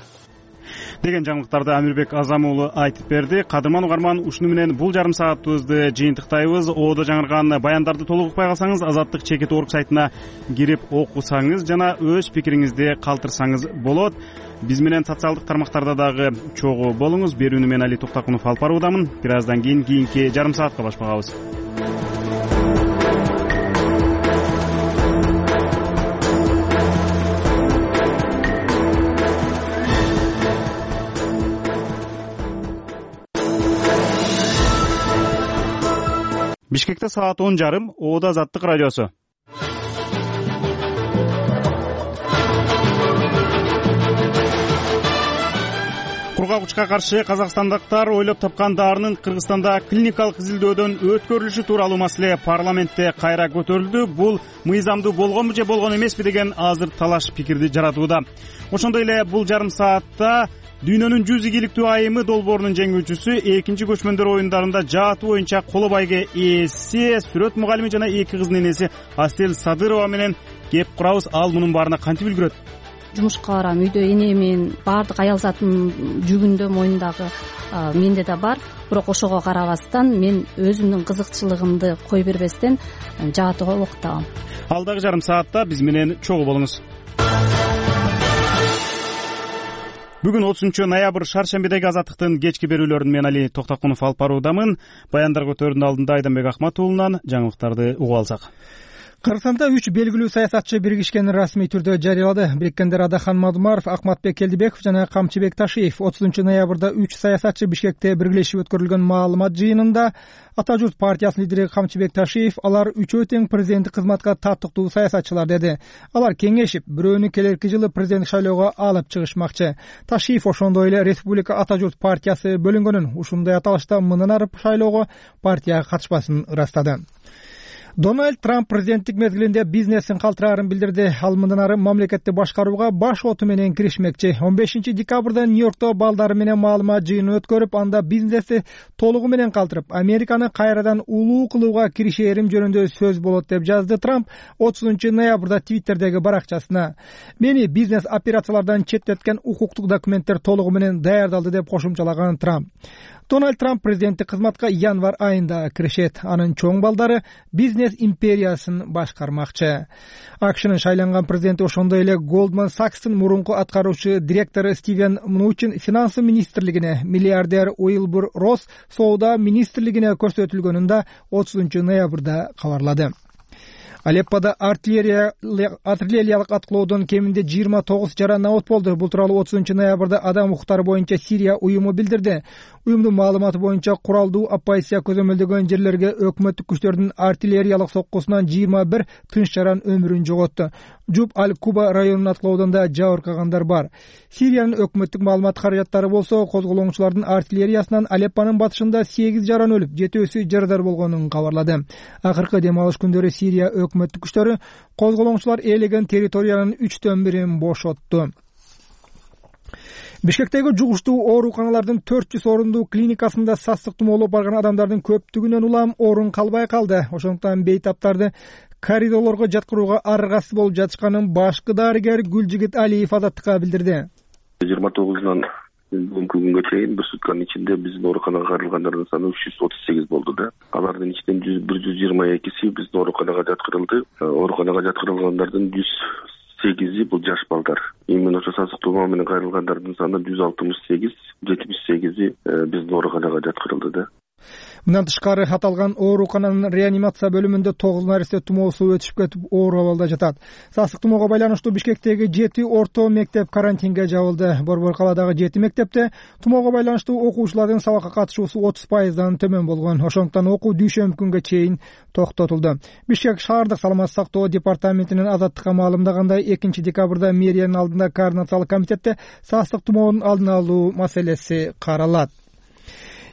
деген жаңылыктарды Амирбек Азам уулу айтып берди. Кадырман угарман, ушуну менен бул жарым саатыбызды жыйынтыктайбыз. Оодо жаңырган баяндарды толук укпай калсаңыз, Азаттык чекит орг сайтына кирип окусаңыз жана өз пикириңизди калтырсаңыз болот. Биз менен социалдык тармактарда дагы чогуу болуңуз. Берүүнү мен Али Токтакунов алып баруудамын. Бир аздан кийинки жарым саатка башпагабыз. Бишкекте саат 10:30, Оода Азаттык радиосу. Кургак учка каршы казакстандыктар ойлоп тапкан дарынын Кыргызстанда клиникалык изилдөөдөн өткөрүлүшү тууралуу маселе парламентте кайра көтөрүлдү. Бул мыйзамдуу болгонбу же болгон эмеспи деген азыр талаш пикирди жаратууда. Ошондой эле бул жарым саатта дүйнөнүн 100 ийгиликтүү айымы долбоорунун жеңүүчүсү, экинчи көчмөндөр оюндарында жааты боюнча коло байге ээси, сүрөт мугалими жана эки кызынын энеси Асель Садырова менен кеп курабыз. Ал мунун баарына кантип үлгүрөт? Жумушка барам, үйдө энемин, баардык аял затынын жүгүндө, мойнундагы менде да бар. Бирок ошого карабастан мен өзүмдүн кызыкчылыгымды кой бербестен жаатыга окутабам. Ал дагы жарым саатта биз менен чогуу болуңуз. Бүгүн 30 ноябрь шаршембидеги Азаттыктын кечки берүүлөрүн мен Али Токтакунов алып баруудамын. Баяндар көтөрүүнүн алдында Айданбек Ахмат уулунан жаңылыктарды угуп алсак. Кыргызстанда 3 белгилүү саясатчы биригишкенин расмий түрдө жарыялады. Бириkkендер Адахан Мадумаров, Акматбек Келдибеков жана Камчыбек Ташиев 30 ноябрда 3 саясатчы Бишкекте биргелешип өткөрүлгөн маалымат жыйынында Ата журт партиясынын лидери Камчыбек Ташиев алар үчөө тең президенттик кызматка таттыктуу саясатчылар деди. Алар кеңешип, бирөөнү келерки жылы президенттик шайлоого алып чыгышмакчы. Ташиев ошондой эле Республика Ата журт партиясы бөлүнгөнүн, ушундай аталышта мындан ары шайлоого партия катышпасын ырастады. Дональд Трамп президенттик мезгилинде бизнесин калтыраарын билдирди. Ал мындан ары мамлекетти башкарууга баш оту менен киришмекчи. 15 декабрда Нью-Йоркто балдары менен маалымат жыйынын өткөрүп, анда бизнести толугу менен калтырып, Американы кайрадан улуу кылууга киришээрим жөнүндө сөз болот деп жазды Трамп 30 ноябрда Твиттердеги баракчасына. Мени бизнес операциялардан четтеткен укуктук документтер толугу менен даярдалды деп кошумчалаган Трамп. Дональд Трамп президенттик кызматка январь айында киришет. Анын чоң балдары бизнес империясын башкармакчы. АКШнын шайланган президенти ошондой эле Goldman Sachs'тын мурунку аткаруучу директору Стивен Мнучин финансы министрлигине, миллиардер Уилбур Росс соода министрлигине көрсөтүлгөнүн да 30 ноябрда кабарлады. Алеппода артиллериялык аткылоодон кеминде 29 жаран абот болду. Бул тууралуу 30 ноябрда Адам укуктары боюнча Сирия уюму билдирди. Уюмдун маалыматы боюнча куралдуу оппозиция көзөмөлдөгөн жерлерге өкмөттүк күчтөрдүн артиллериялык соккусунан 21 тынч жаран өмүрүн жоготту. Жуб аль-Куба районунун аткылоодон да жабыркагандар бар. Сириянын өкмөттүк маалымат каражаттары болсо, козголоңчулардын артиллериясынан Алеппонун батышында 8 жаран өлүп, 7-сү жарадар болгонун кабарлады. Акыркы дем алыш күндөрү Сирия өкмөттүк күчтөрү козголоңчулар ээлеген территориянын 3/1 бошотту. Бишкектеги жугуштуу ооруканалардын 400 орундуу клиникасында састык тумоолоп барган адамдардын көптүгүнөн улам орун калбай калды. Ошондуктан бейтаптарды коридорлорго жаткырууга аргасыз болуп жатышканын башкы дарыгер Гүлжигит Алиев Азаттыкка билдирди. 29-нан бүгүнкү күнгө чейин бир сутканын ичинде биздин ооруканага кайрылгандардын саны 338 болду да. Алардын ичинен 122 биздин ооруканага жаткырылды. Ооруканага жаткырылгандардын 108 бул жаш балдар. Именно ошо сасык тумоо менен кайрылгандардын саны 168, 78 биздин ооруканага жаткырылды да. Мындан тышкары аталган оорукананын реанимация бөлүмүндө 9 наристе тумоосу өтүшүп кетип, оор абалда жатат. Сасык тумоого байланыштуу Бишкектеги 7 орто мектеп карантинге жабылды. Борбор калаадагы 7 мектепте тумоого байланыштуу окуучулардын сабакка катышуусу 30%дан төмөн болгон. Ошондуктан окуу дүйшөмбү күнгө чейин токтотулду. Бишкек шаардык саламаттык сактоо департаментинин Азаттыкка маалымдагандай, 2 декабрда мэриянын алдында координациялык комитетте сасык тумоонун алдын алуу маселеси каралат.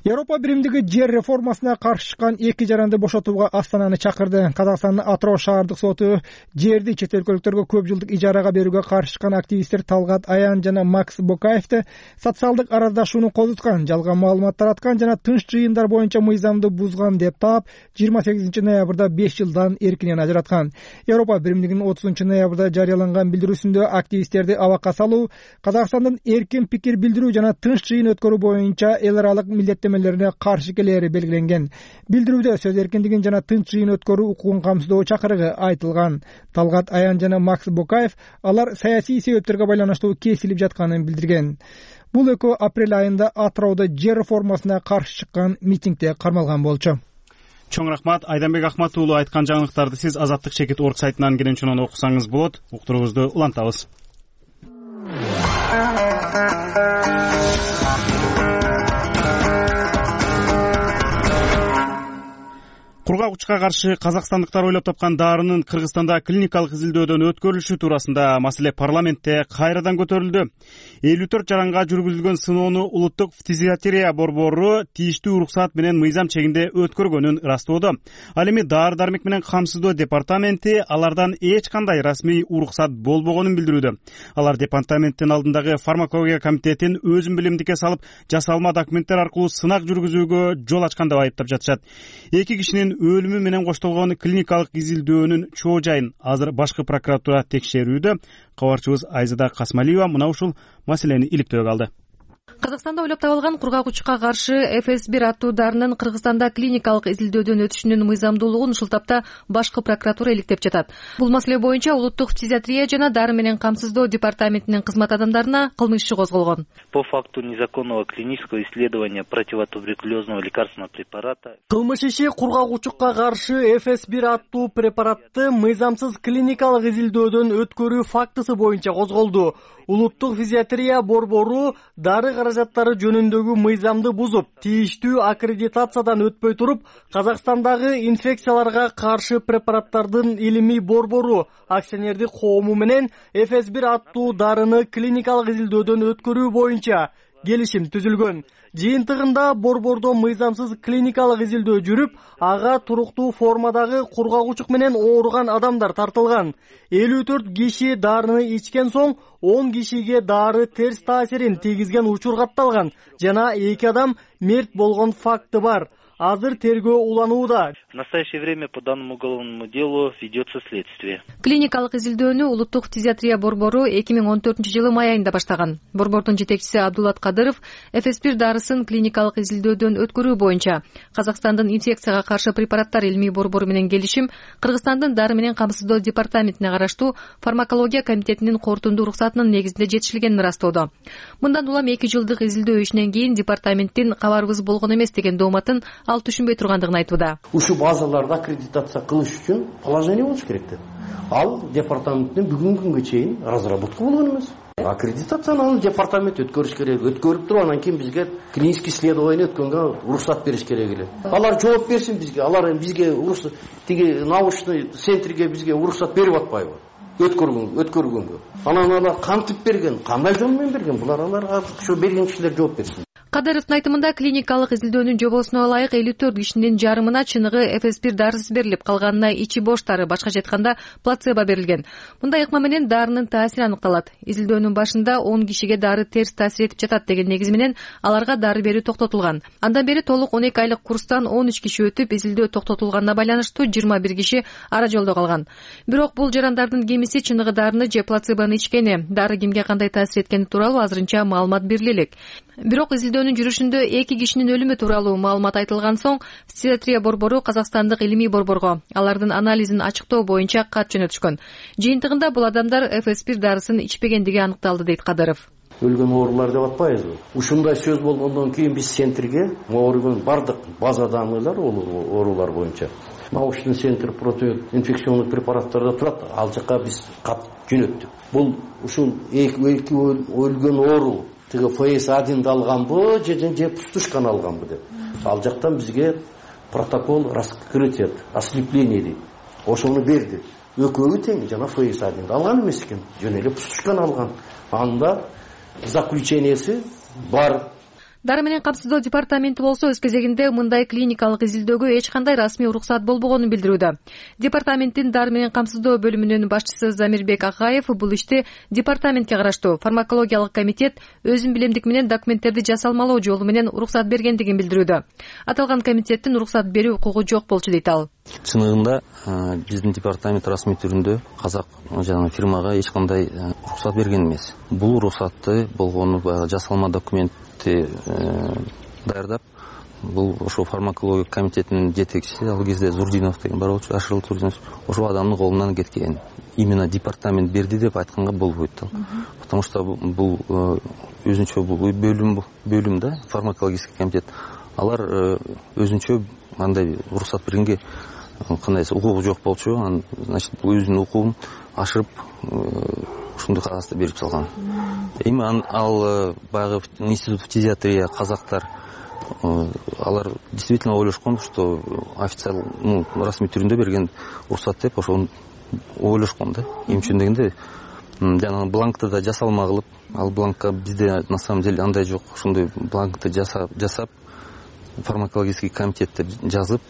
Европа биримдиги жер реформасына каршы чыккан эки жаранды бошотууга Астананы чакырды. Казакстандын Атыроо шаардык соту жерди чет өлкөлүктөргө көп жылдык ижарага берүүгө каршы чыккан активисттер Талгат Аян жана Макс Бокаевди социалдык араздашууну козуткан, жалган маалымат тараткан жана тынч жыйындар боюнча мыйзамды бузган деп таап 28 ноябрда 5 жылдан эркинен ажыраткан. Европа биримдигинин 30 ноябрда жарыяланган билдирүүсүндө активисттерди абакка салуу, Казакстандын эркин пикир билдирүү жана тынч жыйын өткөрүү боюнча эл аралык милдеттемелерине каршы келери белгиленген. Билдирүүдө сөз эркиндигин жана тынч жыйын өткөрүү укугун камсыздоо чакырыгы айтылган. Талгат Аян жана Макс Бокаев алар саясий себептерге байланыштуу кесилип жатканын билдирген. Бул экөө апрель айында Атыроодо жер реформасына каршы чыккан митингде кармалган болчу. Чоң рахмат. Айданбек Ахмат уулу айткан жаңылыктарды сиз Азаттык.org сайтынан кенен окусаңыз болот. Уктуруубузду улантабыз. Кургак учка каршы казакстандыктар ойлоп тапкан дарынын Кыргызстанда клиникалык изилдөөдөн өткөрүлүшү туурасында маселе парламентте кайрадан көтөрүлдү. 54 жаранга жүргүзүлгөн сыноону улуттук фтизиатрия борбору тийиштүү уруксат менен мыйзам чегинде өткөргөнүн ырастоодо. Ал эми дары-дармек менен камсыздоо департаменти алардан эч кандай расмий уруксат болбогонун билдирүүдө. Алар департаменттин алдындагы фармакология комитетин өзүн билимдикке салып, жасалма документтер аркылуу сынак жүргүзүүгө жол ачкан деп айыптап жатышат. Эки кишинин өлүмү менен коштолгон клиникалык изилдөөнүн чоо жайын азыр башкы прокуратура текшерүүдө. Кабарчыбыз Айзада Касмалиева мына ушул маселени иликтөөгө алды. Казакстанда ойлоп табылган кургак учукка каршы FS1 аттуу дарынын Кыргызстанда клиникалык изилдөөдөн өтүшүнүн мыйзамдуулугун ушул тапта башкы прокуратура иликтеп жатат. Бул маселе боюнча улуттук фтизиатрия жана дары менен камсыздоо департаментинин кызмат адамдарына кылмыш иши козголгон. По факту незаконного клинического исследования противотуберкулезного лекарственного препарата. Кылмыш иши кургак учукка каршы FS1 аттуу препаратты мыйзамсыз клиникалык изилдөөдөн өткөрүү фактысы боюнча козголду. Улуттук фтизиатрия борбору дары каражаттары жөнүндөгү мыйзамды бузуп, тийиштүү аккредитациядан өтпөй туруп, Казакстандагы инфекцияларга каршы препараттардын илимий борбору акционердик коому менен FS1 аттуу дарыны клиникалык изилдөөдөн өткөрүү боюнча келишим түзүлгөн. Жыйынтыгында борбордо мыйзамсыз клиникалык изилдөө жүрүп, ага туруктуу формадагы кургак учук менен ооруган адамдар тартылган. 54 киши дарыны ичкен соң 10 кишиге дары терс таасирин тийгизген учур катталган жана 2 адам мерт болгон факты бар. Азыр тергөө уланууда. В настоящее время по данному уголовному делу ведется следствие. Клиникалык изилдөөнү улуттук фтизиатрия борбору 2014-жылы май айында баштаган. Борбордун жетекчиси Абдулат Кадыров FS1 дарысын клиникалык изилдөөдөн өткөрүү боюнча Казакстандын инфекцияга каршы препараттар илимий борбору менен келишим Кыргызстандын дары менен камсыздоо департаментине караштуу фармакология комитетинин кортундуу уруксатынын негизинде жетишилгенин ырастоодо. Мындан улам 2 жылдык изилдөө ишинен кийин департаменттин кабарыбыз болгон эмес деген дооматын ал түшүнбөй тургандыгын айтууда. Ушул базаларды аккредитация кылыш үчүн положение болуш керек деп. Ал департаменттин бүгүнкү күнгө чейин разработка болгон эмес. Аккредитацияны ал департамент өткөрүш керек. Өткөрүп туруп анан кийин бизге клиникалык исследование өткөнгө уруксат бериш керек эле. Алар жооп берсин бизге. Алар бизге уруксат тиги научный центрге бизге уруксат берип атпайбы? Өткөргөнгө. Анан алар кантип берген, кандай жол менен берген? Булар аларга ошо берген кишилер жооп берсин. Кадыровдун айтымында клиникалык изилдөөнүн жобосуна ылайык 54 кишинин жарымына чыныгы FS1 дарысы берилип, калганына ичи бош дары, башкача айтканда плацебо берилген. Мындай ыкма менен дарынын таасири аныкталат. Изилдөөнүн башында 10 кишиге дары терс таасир этип жатат деген негиз менен аларга дары берүү токтотулган. Андан бери толук 12 айлык курстан 13 киши өтүп, изилдөө токтотулганына байланыштуу 21 киши ара жолдо калган. Бирок бул жарандардын кемиси чыныгы дарыны же плацебону ичкени, дары кимге кандай таасир эткени тууралуу азырынча маалымат бериле элек. Бирок изилдөөнүн жүрүшүндө 2 кишинин өлүмү тууралуу маалымат айтылган соң, фтизиатрия борбору Казакстандык илимий борборго алардын анализин ачыктоо боюнча кат жөнөтүшкөн. Жыйынтыгында бул адамдар FS1 дарысын ичпегендиги аныкталды, дейт Кадыров. Өлгөн оорулар деп атпайбызбы? Ушундай сөз болгондон кийин биз центрге ооруган бардык база данныйлар оорулар боюнча научный центр противоинфекционных препараттарда турат. Ал жака биз кат жөнөттүк. Бул ушул эки өлгөн оору тиги FS1 алганбы же пустушканы алганбы деп. Ал жактан бизге протокол раскрытия, ослепление дейт. Ошону берди. Экөөбү тең жана FS1 алган эмес экен. Жөн эле пустушканы алган. Анда заключениеси бар. Дары менен камсыздоо департаменти болсо өз кезегинде мындай клиникалык изилдөөгө эч кандай расмий уруксат болбогонун билдирүүдө. Департаменттин дары менен камсыздоо бөлүмүнүн башчысы Замирбек Акаев бул ишти департаментке караштуу фармакологиялык комитет өзүн билемдик менен документтерди жасалмалоо жолу менен уруксат бергендигин билдирүүдө. Аталган комитеттин уруксат берүү укугу жок болчу дейт ал. Чыныгында биздин департамент расмий түрүндө казак жанагы фирмага эч кандай уруксат берген эмес. Бул уруксатты болгону жасалма документти даярдап, бул ошо фармакология комитетинин жетекчиси ал кезде Зурдинов деген бар болчу, Ашырыл Зурдинов, ошол адамдын колунан кеткен. Именно департамент берди деп айтканга болбойт ал. Потому что бул өзүнчө бөлүм да, фармакологический комитет. Алар өзүнчө андай уруксат бергенге кандай укугу жок болчу. Значит, бул өзүнүн укугун ашырып ушундый кагазды берип салган. Эми ал баягы институт фтизиатрия казактар алар действительно ойлошкон, что официал расмий түрүндө берген уруксат деп ошону ойлошкон да. Эми үчүн дегенде жанагы бланкты да жасалма кылып, ал бланкка бизде на самом деле андай жок. Ошондой бланкты жасап фармакологический комитет деп жазып,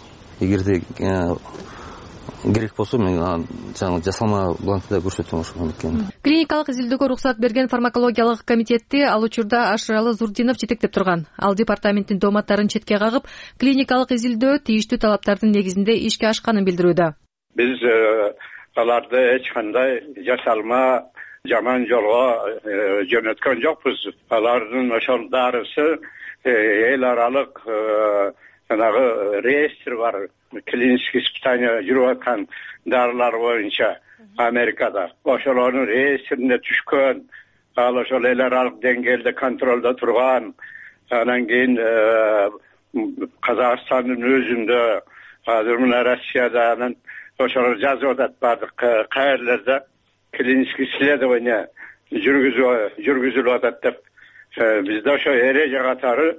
эгерде керек болсо мен жаңы жасалма бланкты да көрсөтөм ошол экен. Клиникалык изилдөөгө уруксат берген фармакологиялык комитетти ал учурда Ашыралы Зурдинов жетектеп турган. Ал департаменттин дооматтарын четке кагып, клиникалык изилдөө тийиштүү талаптардын негизинде ишке ашканын билдирүүдө. Биз аларды эч кандай жасалма жаман жолго жөнөткөн жокпуз. Алардын ошол дарысы эл аралык жанагы реестр бар, клиникалык испытания жүрүп аткан дарылар боюнча Америкада. Ошолордун реестрине түшкөн, ал ошол эл аралык деңгээлде контролдо турган. Анан кийин Казакстандын өзүндө, азыр мына Россияда анан ошолор жазып атат бардык каерлерде клиникалык исследование жүргүзүлүп атат деп. Бизде ошо эреже катары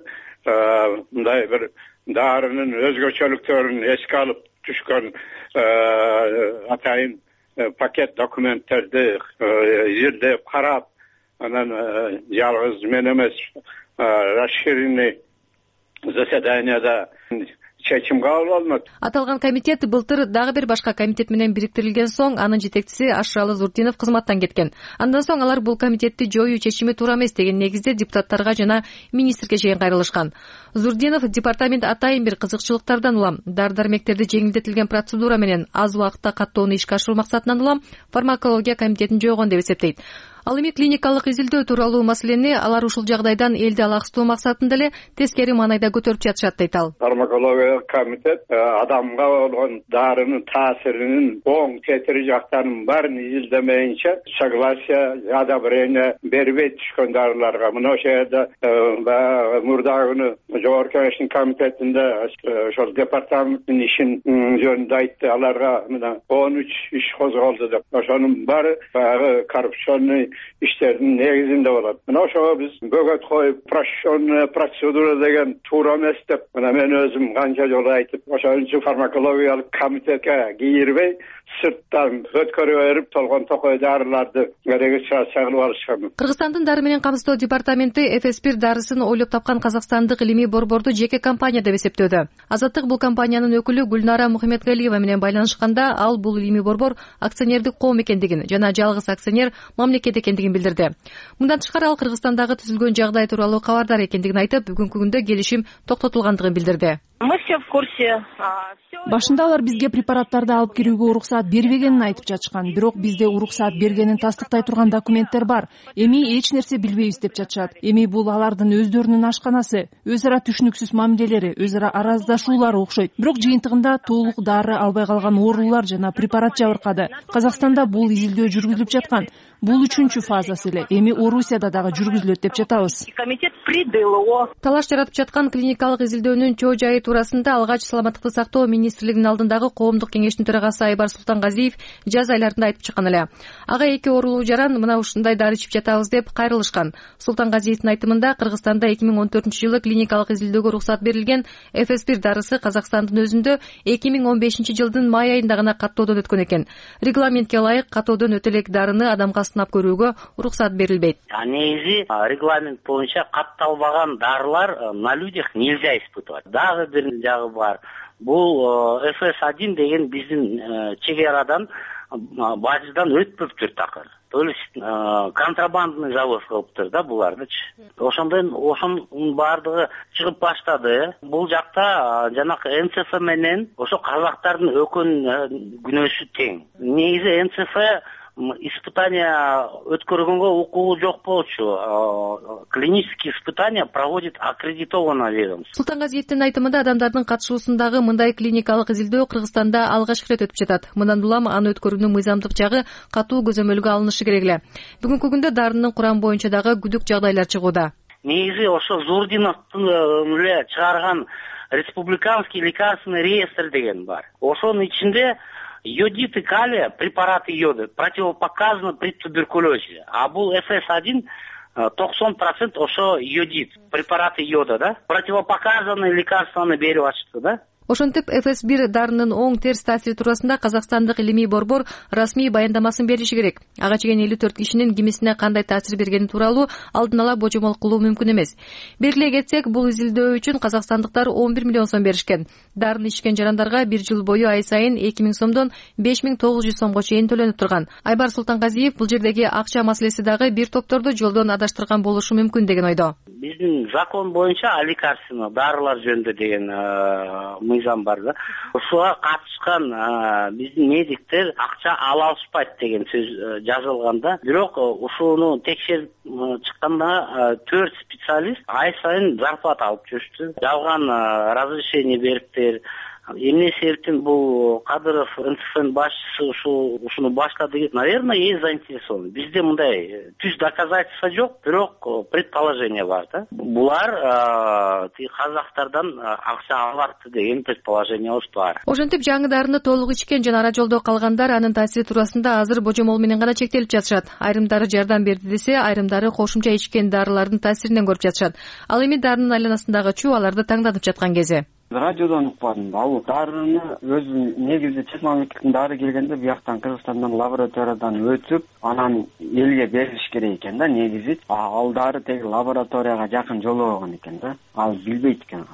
мындай бир дарынын өзгөчөлүктөрүн эске алып түшкөн атайын пакет документтерди изилдеп карап, анан жалгыз мен эмес, расширенный заседанияда чечим кабыл алынат. Аталган комитет былтыр дагы бир башка комитет менен бириктирилген соң анын жетекчиси Ашыралы Зурдинов кызматтан кеткен. Андан соң алар бул комитетти жоюу чечими туура эмес деген негизде депутаттарга жана министрге чейин кайрылышкан. Зурдинов департамент атайын бир кызыкчылыктардан улам дары-дармектерди жеңилдетилген процедура менен аз убакытта каттоону ишке ашыруу максатынан улам фармакология комитетин жойгон деп эсептейт. Ал эми клиникалык изилдөө тууралуу маселени алар ушул жагдайдан элди алаксытуу максатында эле тескери маанайда көтөрүп жатышат дейт ал. Фармакология комитет адамга болгон дарынын таасиринин оң кетири жактарынын баарын изилдемейинче согласие, одобрение бербей түшкөн дарыларга. Мына ошол жерде мурдагы күнү Жогорку Кеңештин комитетинде ошол департаменттин ишин жөнүндө айтты. Аларга мына 13 иш козголду деп. Ошонун баары баягы коррупционный иштердин негизинде болот. Мына ошого биз бөгөт коюп, упрощенная процедура деген туура эмес деп, мына мен өзүм канча жолу айтып, ошон үчүн фармакологиялык комитетке кийирбей, сырттан өткөрүп берип, толгон токой дарыларды регистрация кылып алышкан. Кыргызстандын дары менен камсыздоо департаменти Эфеспир дарысын ойлоп тапкан казакстандык илимий борборду жеке компания деп эсептөөдө. Азаттык бул компаниянын өкүлү Гүлнара Мухаммедгалиева менен байланышканда ал бул илимий борбор акционердик коом экендигин жана жалгыз акционер мамлекет экендигин билдирди. Мындан тышкары ал Кыргызстандагы түзүлгөн жагдай тууралуу кабардар экендигин айтып, бүгүнкү күндө келишим токтотулгандыгын билдирди. Мы все в курсе. Башында алар бизге препараттарды алып кирүүгө уруксаат бербегенин айтып жатышкан. Бирок бизде уруксаат бергенин тастыктай турган документтер бар. Эми эч нерсе билбейбиз деп жатышат. Эми бул алардын өздөрүнүн ашканасы, өз ара түшүнүксүз мамилелери, өз ара араздашуулары окшойт. Бирок жыйынтыгында толук дары албай калган оорулар жана препарат жабыркады. Казакстанда бул изилдөө жүргүзүлүп жаткан. Бул 3-чү фазасы эле. Эми Орусияда дагы жүргүзүлөт деп жатабыз. Комитет придыл его. Талаш жаратып жаткан клиникалык изилдөөнүн чоо жайы туурасында алгач саламаттыкты сактоо министрлигинин алдындагы коомдук кеңештин төрагасы Айбар Султангазиев жаз айларында айтып чыккан эле. Ага 2 оорулуу жаран мына ушундай дары ичип жатабыз деп кайрылышкан. Султангазиевдин айтымында Кыргызстанда 2014-жылы клиникалык изилдөөгө уруксат берилген FS1 дарысы Казакстандын өзүндө 2015-жылдын май айында гана каттоодон өткөн экен. Регламентке ылайык каттоодон өтө элек дарыны адамга сынап көрүүгө уруксат берилбейт. Негизи регламент боюнча катталбаган дарылар на людях нельзя испытывать. Дагы бир жагы бар. Бул FS1 деген биздин чегарадан бажыдан өтпөптүр такыр. То есть контрабандный завоз кылыптыр да булардычы. Ошонун баардыгы чыгып баштады. Бул жакта жанакы НЦФ менен ошо казактардын өкөн күнөөсү тең. Негизи НЦФ испытания өткөргөнгө укугу жок болчу. Клинические испытания проводит аккредитованное ведомство. Султангазиевдин айтымында адамдардын катышуусундагы мындай клиникалык изилдөө Кыргызстанда алгачкы ирет өтүп жатат. Мындан улам аны өткөрүүнүн мыйзамдык жагы катуу көзөмөлгө алынышы керек эле. Бүгүнкү күндө дарынын курамы боюнча дагы күдүк жагдайлар чыгууда. Негизи ошо Зурдиновдун эле чыгарган республиканский лекарственный реестр деген бар. Ошонун ичинде йодит и калия, препараты йода, противопоказаны при туберкулезе. А бул FS1 90% ошо йодит, препараты йода, да? Противопоказаны лекарстваны берип атышты, да? Ошентип FS1 дарынын оң терс таасири туурасында Казакстандык илимий борбор расмий баяндамасын бериши керек. Ага чейин 54 кишинин кимисине кандай таасир бергени тууралуу алдын ала божомол кылуу мүмкүн эмес. Белгилей кетсек, бул изилдөө үчүн казакстандыктар 11 миллион сом беришкен. Дарыны ичкен жарандарга 1 жыл бою ай сайын 2000 сомдон 5900 сомго чейин төлөнүп турган. Айбар Султангазиев бул жердеги акча маселеси дагы бир топторду жолдон адаштырган болушу мүмкүн деген ойдо. Биздин закон боюнча лекарственно дарылар жөнүндө деген мыйзам бар да. Ушуга катышкан биздин медиктер акча ала алышпайт деген сөз жазылганда, бирок ушуну текшерип чыкканда 4 специалист ай сайын зарплата алып жүрүштү. Жалган разрешение бериптир. Эмне себептен бул Кадыров НЦФнын башчысы ушуну баштады? Наверное, есть заинтересован. Бизде мындай түз доказательства жок, бирок предположение бар да. Булар казактардан акча алат деген предположение бар. Ошентип жаңы дарыны толук ичкен жана ара жолдо калгандар анын таасири туурасында азыр божомол менен гана чектелип жатышат. Айрымдары жардам берди десе, айрымдары кошумча ичкен дарылардын таасиринен көрүп жатышат. Ал эми дарынын айланасындагы чуу аларды таңданып жаткан кези. Радиодон укпадым. Ал дарыны өзү негизи чет мамлекеттин дары келгенде бияктан Кыргызстандан лабораториядан өтүп, анан элге берилиш керек экен да негизи. Ал дары теги лабораторияга жакын жолобогон экен да. Ал билбейт экен.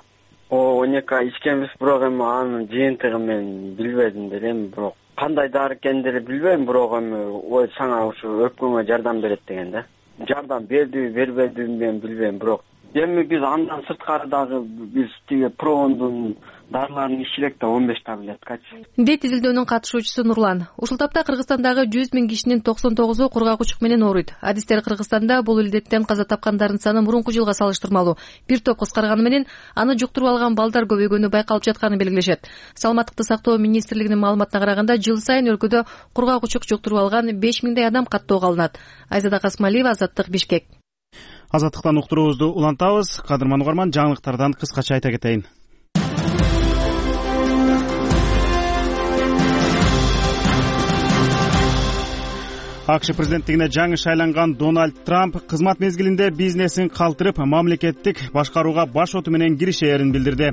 12 ичкенбиз, бирок эми анын жыйынтыгы мен билбедим делем, бирок кандай дары экендигин билбейм, бирок эми сага ушу өпкөнгө жардам берет деген да. Жардам бердиби, бербедиби мен билбейм, бирок эми биз андан сырткары дагы биз тиги Промондун дарыларын ичилек да 15 таблеткачы. Дейт изилдөөнүн катышуучусу Нурлан. Ушул тапта Кыргызстандагы 100 000 кишинин 99-у кургак учук менен ооруйт. Адистер Кыргызстанда бул илдеттен каза тапкандардын саны мурунку жылга салыштырмалуу бир топ кыскарганы менен аны жуктуруп алган балдар көбөйгөнү байкалып жатканын белгилешет. Саламаттыкты сактоо министрлигинин маалыматына караганда, жыл сайын өлкөдө кургак учук жуктуруп алган 5000 адам каттоого алынат. Айзада Касмалиева, Азаттык, Бишкек. Азаттыктан уктуруубузду улантабыз. Кадырман угарман, жаңылыктардан кыскача айта кетейин. АКШ президенттигине жаңы шайланган Дональд Трамп кызмат мезгилинде бизнесин калтырып, мамлекеттик башкарууга баш оту менен киришээрин билдирди.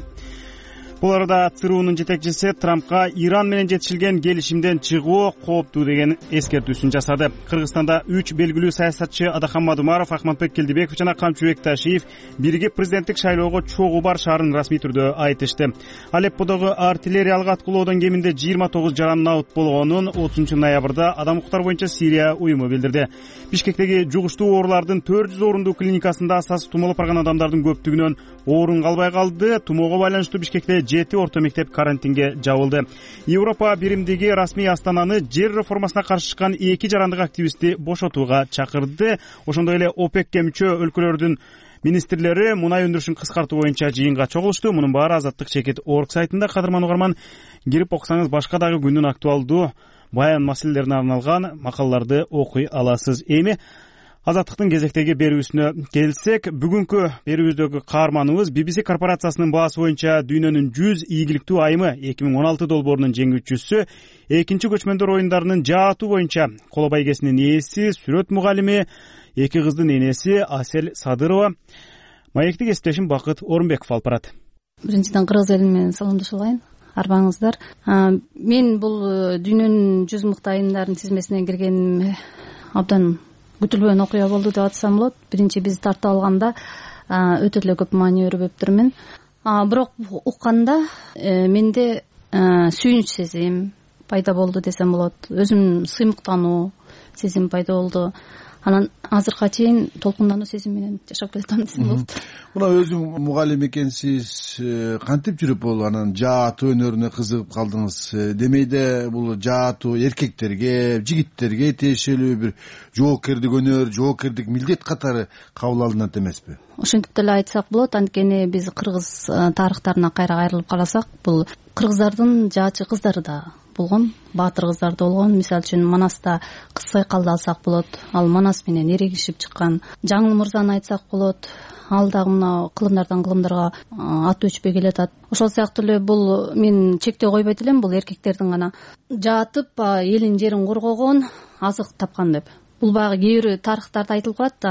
Бул арада ЦРУнун жетекчиси Трампка Иран менен жетишилген келишимден чыгуу кооптуу деген эскертүүсүн жасады. Кыргызстанда 3 белгилүү саясатчы Адахан Мадумаров, Акматбек Келдибеков жана Камчыбек Ташиев биригип президенттик шайлоого чогуу барышаарын расмий түрдө айтышты. Алепподогу артиллериялык аткылоодон кеминде 29 жаран наут болгонун 30 ноябрда Адам укуктар боюнча Сирия уюму билдирди. Бишкектеги жугуштуу оорулардын 400 орундуу клиникасында асасы тумоолоп барган адамдардын көптүгүнөн орун калбай калды. Тумоого байланыштуу Бишкекте 7 орто мектеп карантинге жабылды. Европа биримдиги расмий Астананы жер реформасына каршы чыккан 2 жарандык активистти бошотууга чакырды. Ошондой эле ОПЕКке мүчө өлкөлөрдүн министрлери мунай өндүрүшүн кыскартуу боюнча жыйынга чогулушту. Мунун баары Азаттык Чекит.org сайтында. Кадырман угарман, кирип окусаңыз башка дагы күндүн актуалдуу баян маселелерине арналган макалаларды окуй аласыз. Эми Азаттыктын кезектеги берүүсүнө келсек, бүгүнкү берүүбүздөгү каарманыбыз BBC корпорациясынын баасы боюнча дүйнөнүн 100 ийгиликтүү айымы 2016 долбоорунун жеңүүчүсү, экинчи көчмөндөр оюндарынын жаатуу боюнча коло байгесинин ээси, сүрөт мугалими, эки кыздын энеси Асель Садырова. Маекти кесиптешим Бакыт Орунбеков алып барат. Биринчиден кыргыз эли менен саламдашып алайын. Арбаңыздар. Мен бул дүйнөнүн 100 мыкты айымдарынын тизмесине киргениме абдан күтүлбөгөн окуя болду деп атсам болот. Биринчи биз тартып алганда өтө эле көп маани өрбөптүр мен. Бирок укканда менде сүйүнүч сезим пайда болду десем болот. Өзүм сыймыктануу сезим пайда болду. Анан азыркыга чейин толкундануу сезим менен жашап келатам десем болот. Мына өзүң мугалим экенсиз, кантип жүрүп бул анан жаатуу өнөрүнө кызыгып калдыңыз? Демейде бул жаатуу эркектерге, жигиттерге тиешелүү бир жоопкердик өнөр, жоопкердик милдет катары кабыл алынат эмеспи? Ошентип деле айтсак болот. Анткени биз кыргыз тарыхтарына кайра кайрылып карасак, бул кыргыздардын жаачы кыздары да болгон, баатыр кыздар да болгон. Мисалы үчүн Манаста Кыз Сайкалды алсак болот. Ал Манас менен эрегишип чыккан. Жаңыл мырзаны айтсак болот. Ал дагы мына кылымдардан кылымдарга аты өчпөй келатат. Ошол сыяктуу эле бул мен чектөө койбойт элем, бул эркектердин гана жаатып элин жерин коргогон, азык тапкан деп. Бул баягы кээ бир тарыхтарда айтылып калат,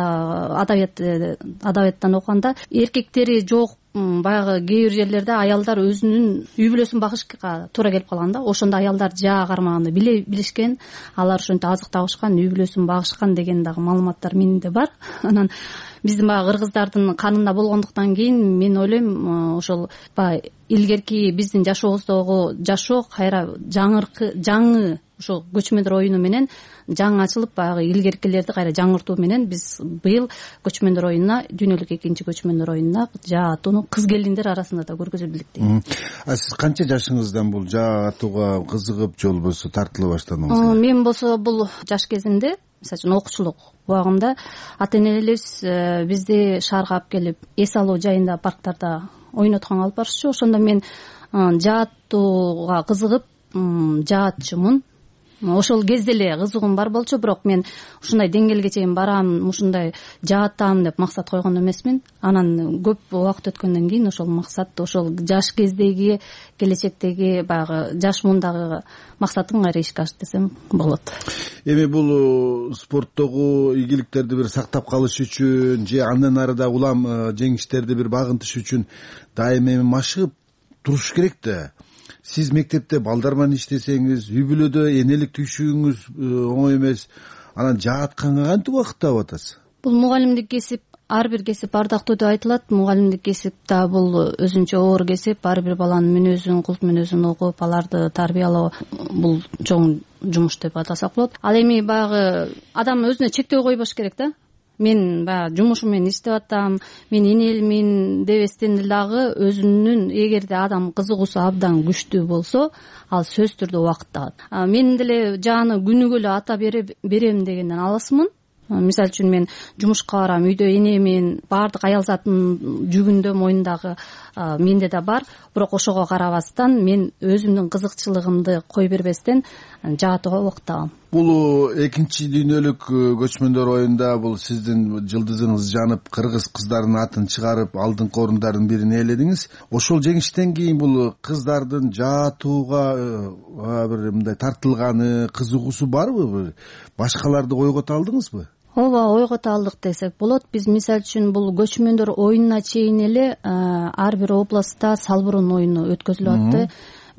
адабияттан окуганда эркектери жок баягы кээ бир жерлерде аялдар өзүнүн үй бүлөсүн багышка туура келип калган да. Ошондо аялдар жаа кармаганды билишкен, алар ошентип азык табышкан, үй бүлөсүн багышкан деген дагы маалыматтар менде бар. Анан биздин баягы кыргыздардын канында болгондуктан кийин мен ойлойм, ошол баягы илгерки биздин жашообуздогу жашоо кайра жаңы ошо көчмөндөр оюну менен жаңы ачылып, баягы илгеркилерди кайра жаңыртуу менен биз быйыл көчмөндөр оюнуна, дүйнөлүк экинчи көчмөндөр оюнуна жаатууну кыз келиндер арасында да көргөзүп элек. Сиз канча жашыңыздан бул жаатууга кызыгып же болбосо тартыла баштадыңыз? Мен болсо бул жаш кезимде, мисалы үчүн окуучулук убагымда ата энелерибиз бизди шаарга алып келип, эс алуу жайында парктарда ойнотконго алып барышчу. Ошондо мен жаатууга кызыгып жаатчумун. Ошол кезде эле кызыгуум бар болчу, бирок мен ушундай деңгээлге чейин барам, ушундай жаатам деп максат койгон эмесмин. Анан көп убакыт өткөндөн кийин ошол максат, ошол жаш кездеги, келечектеги баягы жаш мундагы максатым кайра ишке ашты десем болот. Эми бул спорттогу ийгиликтерди бир сактап калыш үчүн же андан ары да улам жеңиштерди бир багынтыш үчүн дайыма эми машыгып туруш керек да. Сиз мектепте балдар менен иштесеңиз, үй бүлөдө энелик түйшүгүңүз оңой эмес. Анан жаатканга кантип убакыт таап атасыз? Бул мугалимдик кесип, ар бир кесип ардактуу деп айтылат. Мугалимдик кесип да бул өзүнчө оор кесип. Ар бир баланын мүнөзүн, култ мүнөзүн угуп, аларды тарбиялоо бул чоң жумуш деп атасак болот. Ал эми баягы адам өзүнө чектөө койбош керек да. Мен баягы жумушум менен иштеп атам, мен энелимин дебестен дагы өзүнүн, эгерде адам кызыгуусу абдан күчтүү болсо, ал сөзсүз түрдө убакыт табат. Мен деле жааны күнүгө эле ата берем дегенден алысмын. Мисалы үчүн мен жумушка барам, үйдө энемин, баардык аял затынын жүгүндө мойнундагы менде да бар. Бирок ошого карабастан мен өзүмдүн кызыкчылыгымды кой бербестен жаатууга убакыт табам. Бул экинчи дүйнөлүк көчмөндөр оюнда бул сиздин жылдызыңыз жанып, кыргыз кыздарынын атын чыгарып, алдыңкы орундардын бирин ээледиңиз. Ошол жеңиштен кийин бул кыздардын жаатууга бир мындай тартылганы, кызыгуусу барбы? Башкаларды ойгото алдыңызбы? Ооба, ойгото алдык десек болот. Биз мисалы үчүн бул көчмөндөр оюнуна чейин эле ар бир областта салбырун оюну өткөзүлүп атты.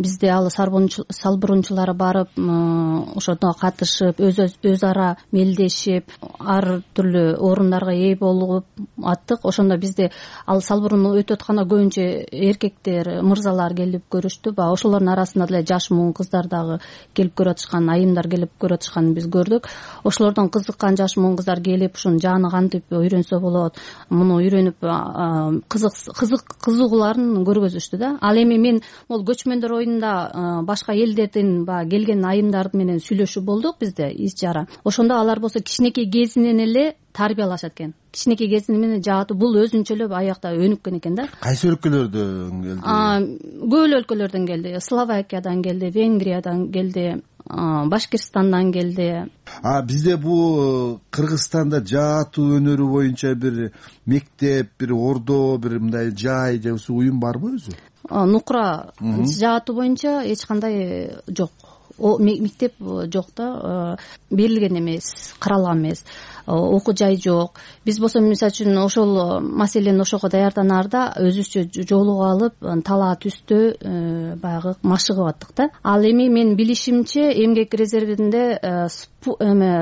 Бизде ал салбырунчулар барып, ошондо катышып, өз ара мелдешип, ар түрлүү орундарга ээ болуп аттык. Ошондо бизде ал салбырун өтүп атканда көбүнчө эркектер, мырзалар келип көрүштү. Ошолордун арасында деле жаш муун кыздар дагы келип көрүп атышкан, айымдар келип көрүп атышканын биз көрдүк. Ошолордон кызыккан жаш муун кыздар келип, ушуну жааны кантип үйрөнсө болот, муну үйрөнүп кызыгууларын көргөзүштү да. Ал эми мен могул көчмөндөр оюнунда башка элдердин келген айымдар менен сүйлөшүү болдук бизде ич жара. Ошондо алар болсо кичинекей кезинен эле тарбиялашат экен. Кичинекей кезинен менен жаатуу бул өзүнчө эле аякта өнүккөн экен да. Кайсы өлкөлөрдөн келди? Көп эле өлкөлөрдөн келди. Словакиядан келди, Венгриядан келди, Башкирстандан келди. Бизде бул Кыргызстанда жаатуу өнөрү боюнча бир мектеп, бир ордо, бир мындай жай же уюм барбы өзү? Нукура жаатуу боюнча эч кандай жок. Мектеп жок да, берилген эмес, каралган эмес. Окуу жай жок. Биз болсо мисалы үчүн ошол маселени ошого даярданаарда өзүбүзчө жолугуп алып талаа түстө баягы машыгып аттык да. Ал эми менин билишимче эмгек резервинде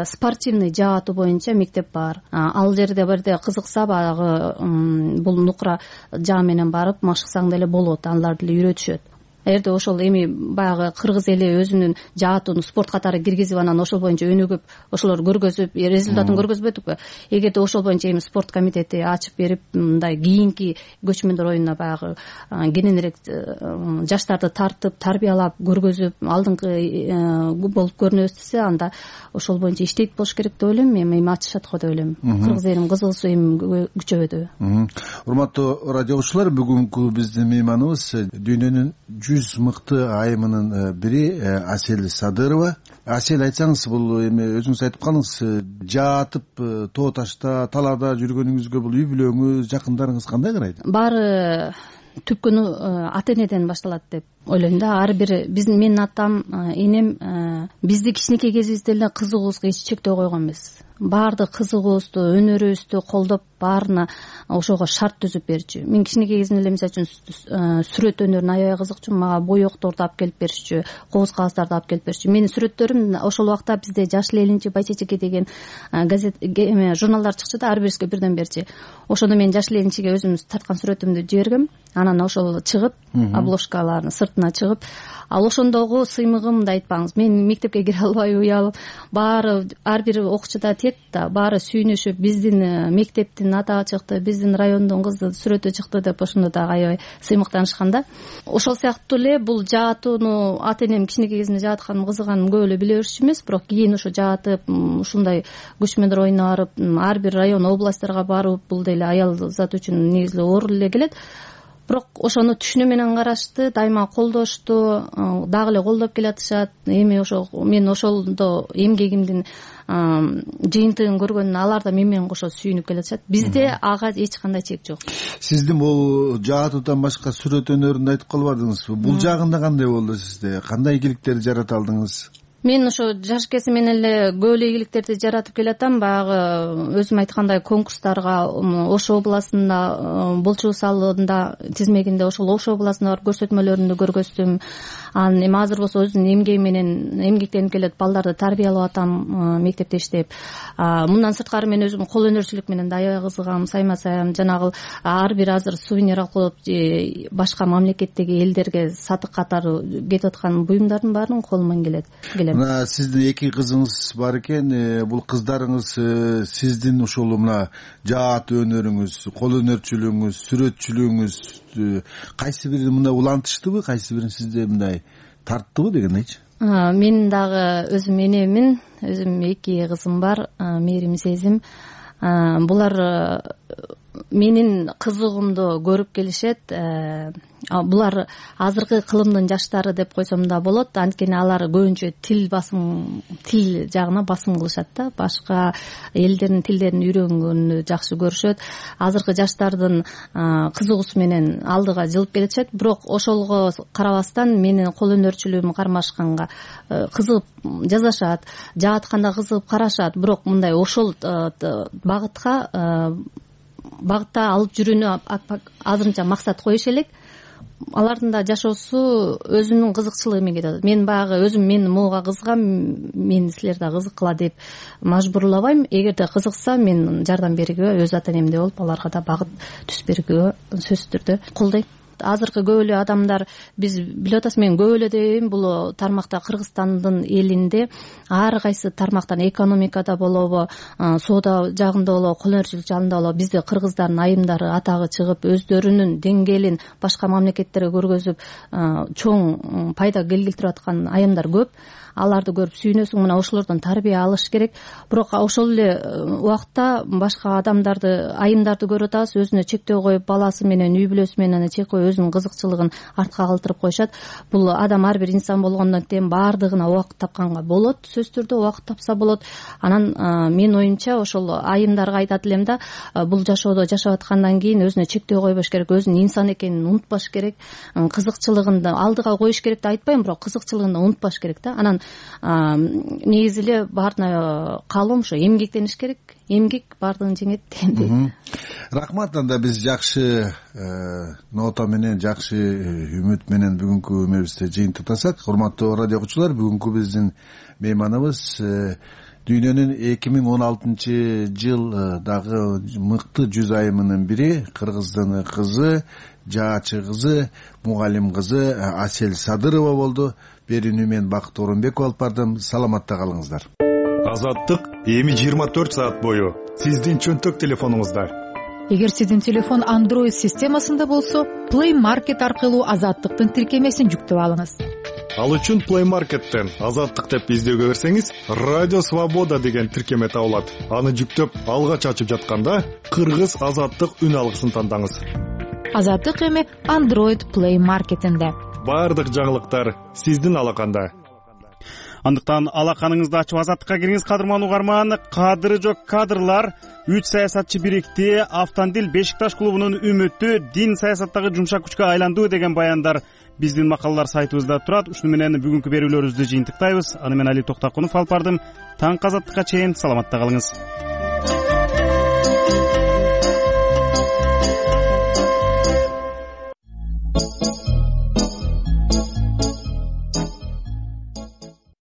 спортивный жаатуу боюнча мектеп бар. Ал жерде бирде кызыкса баягы бул нукура жаа менен барып машыксаң деле болот, алар деле үйрөтүшөт. Эгерде ошол эми баягы кыргыз эли өзүнүн жаатууну спорт катары киргизип анан ошол боюнча өнүгүп ошолор көргөзүп результатын көргөзбөдүкпү. Эгерде ошол боюнча эми спорт комитети ачып берип мындай кийинки көчмөндөр оюнуна баягы кененирээк жаштарды тартып тарбиялап көргөзүп алдыңкы болуп көрүнөбүз десе, анда ошол боюнча иштейт болуш керек деп ойлойм. Эми ачышат го деп ойлойм. Кыргыз элинин кызыгуусу эми күчөбөдү. Урматтуу радио угуучулар, бүгүнкү биздин мейманыбыз дүйнөнүн 100 мыкты айымынын бири Асель Садырова. Асель, айтсаңыз, бул эми өзүңүз айтып калыңыз, жаатып тоо ташта талаада жүргөнүңүзгө бул үй бүлөңүз, жакындарыңыз кандай карайт? Баары түпкүнү ата энеден башталат деп ойлойм да. Ар бир менин атам, энем бизди кичинекей кезибизде эле кызыгуубузга эч чектөө койгон эмес. Баардык кызыгуубузду, өнөрүбүздү колдоп, баарына ошого шарт түзүп берчү. Мен кичинекей кезимде эле мисалы үчүн сүрөт өнөрүнө аябай кызыкчумун. Мага боекторду алып келип беришчү, кобуз кагыздарды алып келип беришчү. Менин сүрөттөрүм ошол убакта бизде Жашыл элинчи, Байчечеке деген газет журналдар чыкчу да, ар бирибизге бирден берчи. Ошондо мен Жашыл элинчиге өзүм тарткан сүрөтүмдү жибергем. Анан ошол чыгып, обложкаларын сыртына чыгып, ал ошондогу сыймыгымды айтпаңыз. Мен мектепке кире албай уялып, баары ар бир окуучуда тет да, баары сүйүнүшүп, биздин мектептин атагы чыкты, биздин райондун кызы сүрөтү чыкты деп ошондо да аябай сыймыктанышкан да. Ошол сыяктуу эле бул жаатууну ата энем кичинекей кезинде жаатыканым кызыганым көп эле биле беришчү эмес, бирок кийин ошо жаатып ушундай көчмөндөр оюнуна барып, ар бир район, областьтарга барып, бул деле аял зат үчүн негизи оор эле келет. Бирок ошону түшүнүү менен карашты, дайыма колдошту, дагы эле колдоп келатышат. Эми ошо мен ошолдо эмгегимдин жыйынтыгын көргөн алар да мен менен кошо сүйүнүп келатышат. Бизде ага эч кандай чек жок. Сиздин бул жаатуудан башка сүрөт өнөрүндү айтып калбадыңызбы? Бул жагында кандай болду сизде? Кандай ийгиликтерди жарата алдыңыз? Мен ошо жаш кезим менен эле көп эле ийгиликтерди жаратып келатам. Баягы өзүм айткандай конкурстарга Ош областында болчу салында тизмегинде ошол Ош областына барып көрсөтмөлөрүндү көргөздүм. Анан эми азыр болсо өзүмдүн эмгегим менен эмгектенип келет, балдарды тарбиялап атам мектепте иштеп. Мындан сырткары мен өзүм кол өнөрчүлүк менен да аябай кызыгам, сайма-сайым жанагы ар бир азыр сувенир алып башка мамлекеттеги элдерге сатык катары кетип аткан буюмдардын баарын колуман келет. Мына сиздин эки кызыңыз бар экен. Бул кыздарыңыз сиздин ушул мына жаат өнөрүңүз, кол өнөрчүлүгүңүз, сүрөтчүлүгүңүз кайсы бирин мындай улантыштыбы, кайсы бирин сизде мындай тарттыбы дегендейчи? Мен дагы өзүм энемин, өзүм эки кызым бар, мээрим сезим. Булар менин кызыгуумду көрүп келишет. Булар азыркы кылымдын жаштары деп койсом да болот. Анткени алар көбүнчө тил жагына басым кылышат да. Башка элдердин тилдерин үйрөнгөнү жакшы көрүшөт. Азыркы жаштардын кызыгуусу менен алдыга жылып келишет. Бирок ошолго карабастан менин кол өнөрчүлүгүм кармашканга кызыгып жазышат, жаатканда кызыгып карашат. Бирок мындай ошол багытта алып жүрүүнү азырынча максат коюш элек. Алардын да жашоосу өзүнүн кызыкчылыгы менен кетет. Мен баягы өзүм мен могуга кызыгам, мени силер да кызыккыла деп мажбурлабайм. Эгерде кызыкса мен жардам бергенге, өз ата энемдей болуп аларга да багыт түзүп бергенге сөзсүз түрдө колдойм. Азыркы көп эле адамдар, биз билип атасыз, мен көп эле дейм, бул тармакта Кыргызстандын элинде ар кайсы тармактан, экономикада болобу, соода жагында болобу, кол өнөрчүлүк жагында болобу, бизде кыргыздардын айымдары атагы чыгып, өздөрүнүн деңгээлин башка мамлекеттерге көргөзүп, чоң пайда келтирип аткан айымдар көп. Аларды көрүп сүйүнөсүң, мына ошолордон тарбия алыш керек. Бирок ошол эле убакта башка адамдарды, айымдарды көрүп атабыз, өзүнө чектөө коюп, баласы менен, үй бүлөсү менен чек коюп, өзүнүн кызыкчылыгын артка калтырып коюшат. Бул адам ар бир инсан болгондон кийин баардыгына убакыт тапканга болот, сөзсүз түрдө убакыт тапса болот. Анан менин оюмча ошол айымдарга айтат элем да, бул жашоодо жашап аткандан кийин өзүнө чектөө койбош керек, өзүнүн инсан экенин унутпаш керек, кызыкчылыгын да алдыга коюш керек деп айтпайм, бирок кызыкчылыгын да унутпаш керек да. Анан негизи эле баарына каалоом ошо эмгектениш керек. Эмгек баардыгын жеңет дегендей. Рахмат. Анда биз жакшы нота менен, жакшы үмүт менен бүгүнкү эмебизди жыйынтыктасак. Урматтуу радио окуучулар, бүгүнкү биздин мейманыбыз дүйнөнүн 2016-жылдагы мыкты 100 айымынын бири, кыргыздын кызы, жаачы кызы, мугалим кызы Асель Садырова болду. Берүүнү мен Бакыт Орунбеков алып бардым. Саламатта калыңыздар. Азаттык эми 24 саат бою сиздин чөнтөк телефонуңузда. Эгер сиздин телефон Android системасында болсо, Play Market аркылуу Азаттыктын тиркемесин жүктөп алыңыз. Ал үчүн Play Market'тен Азаттык деп издөөгө берсеңиз, Радио Свобода деген тиркеме табылат. Аны жүктөп алгач ачып жатканда кыргыз Азаттык үн алгысын тандаңыз. Азаттык эми Android Play Market'инде. Баардык жаңылыктар сиздин алаканда. Андыктан алаканыңызды ачып Азаттыкка кириңиз, кадырман угарман. Кадыры жок кадрлар. 3 саясатчы бирикти. Автандил Бешикташ клубунун үмүтү дин саясаттагы жумшак күчкө айланды деген баяндар биздин макалалар сайтыбызда турат. Ушуну менен бүгүнкү берүүлөрүбүздү жыйынтыктайбыз. Аны мен Али Токтакунов алып бардым. Таң Азаттыкка чейин саламатта калыңыз.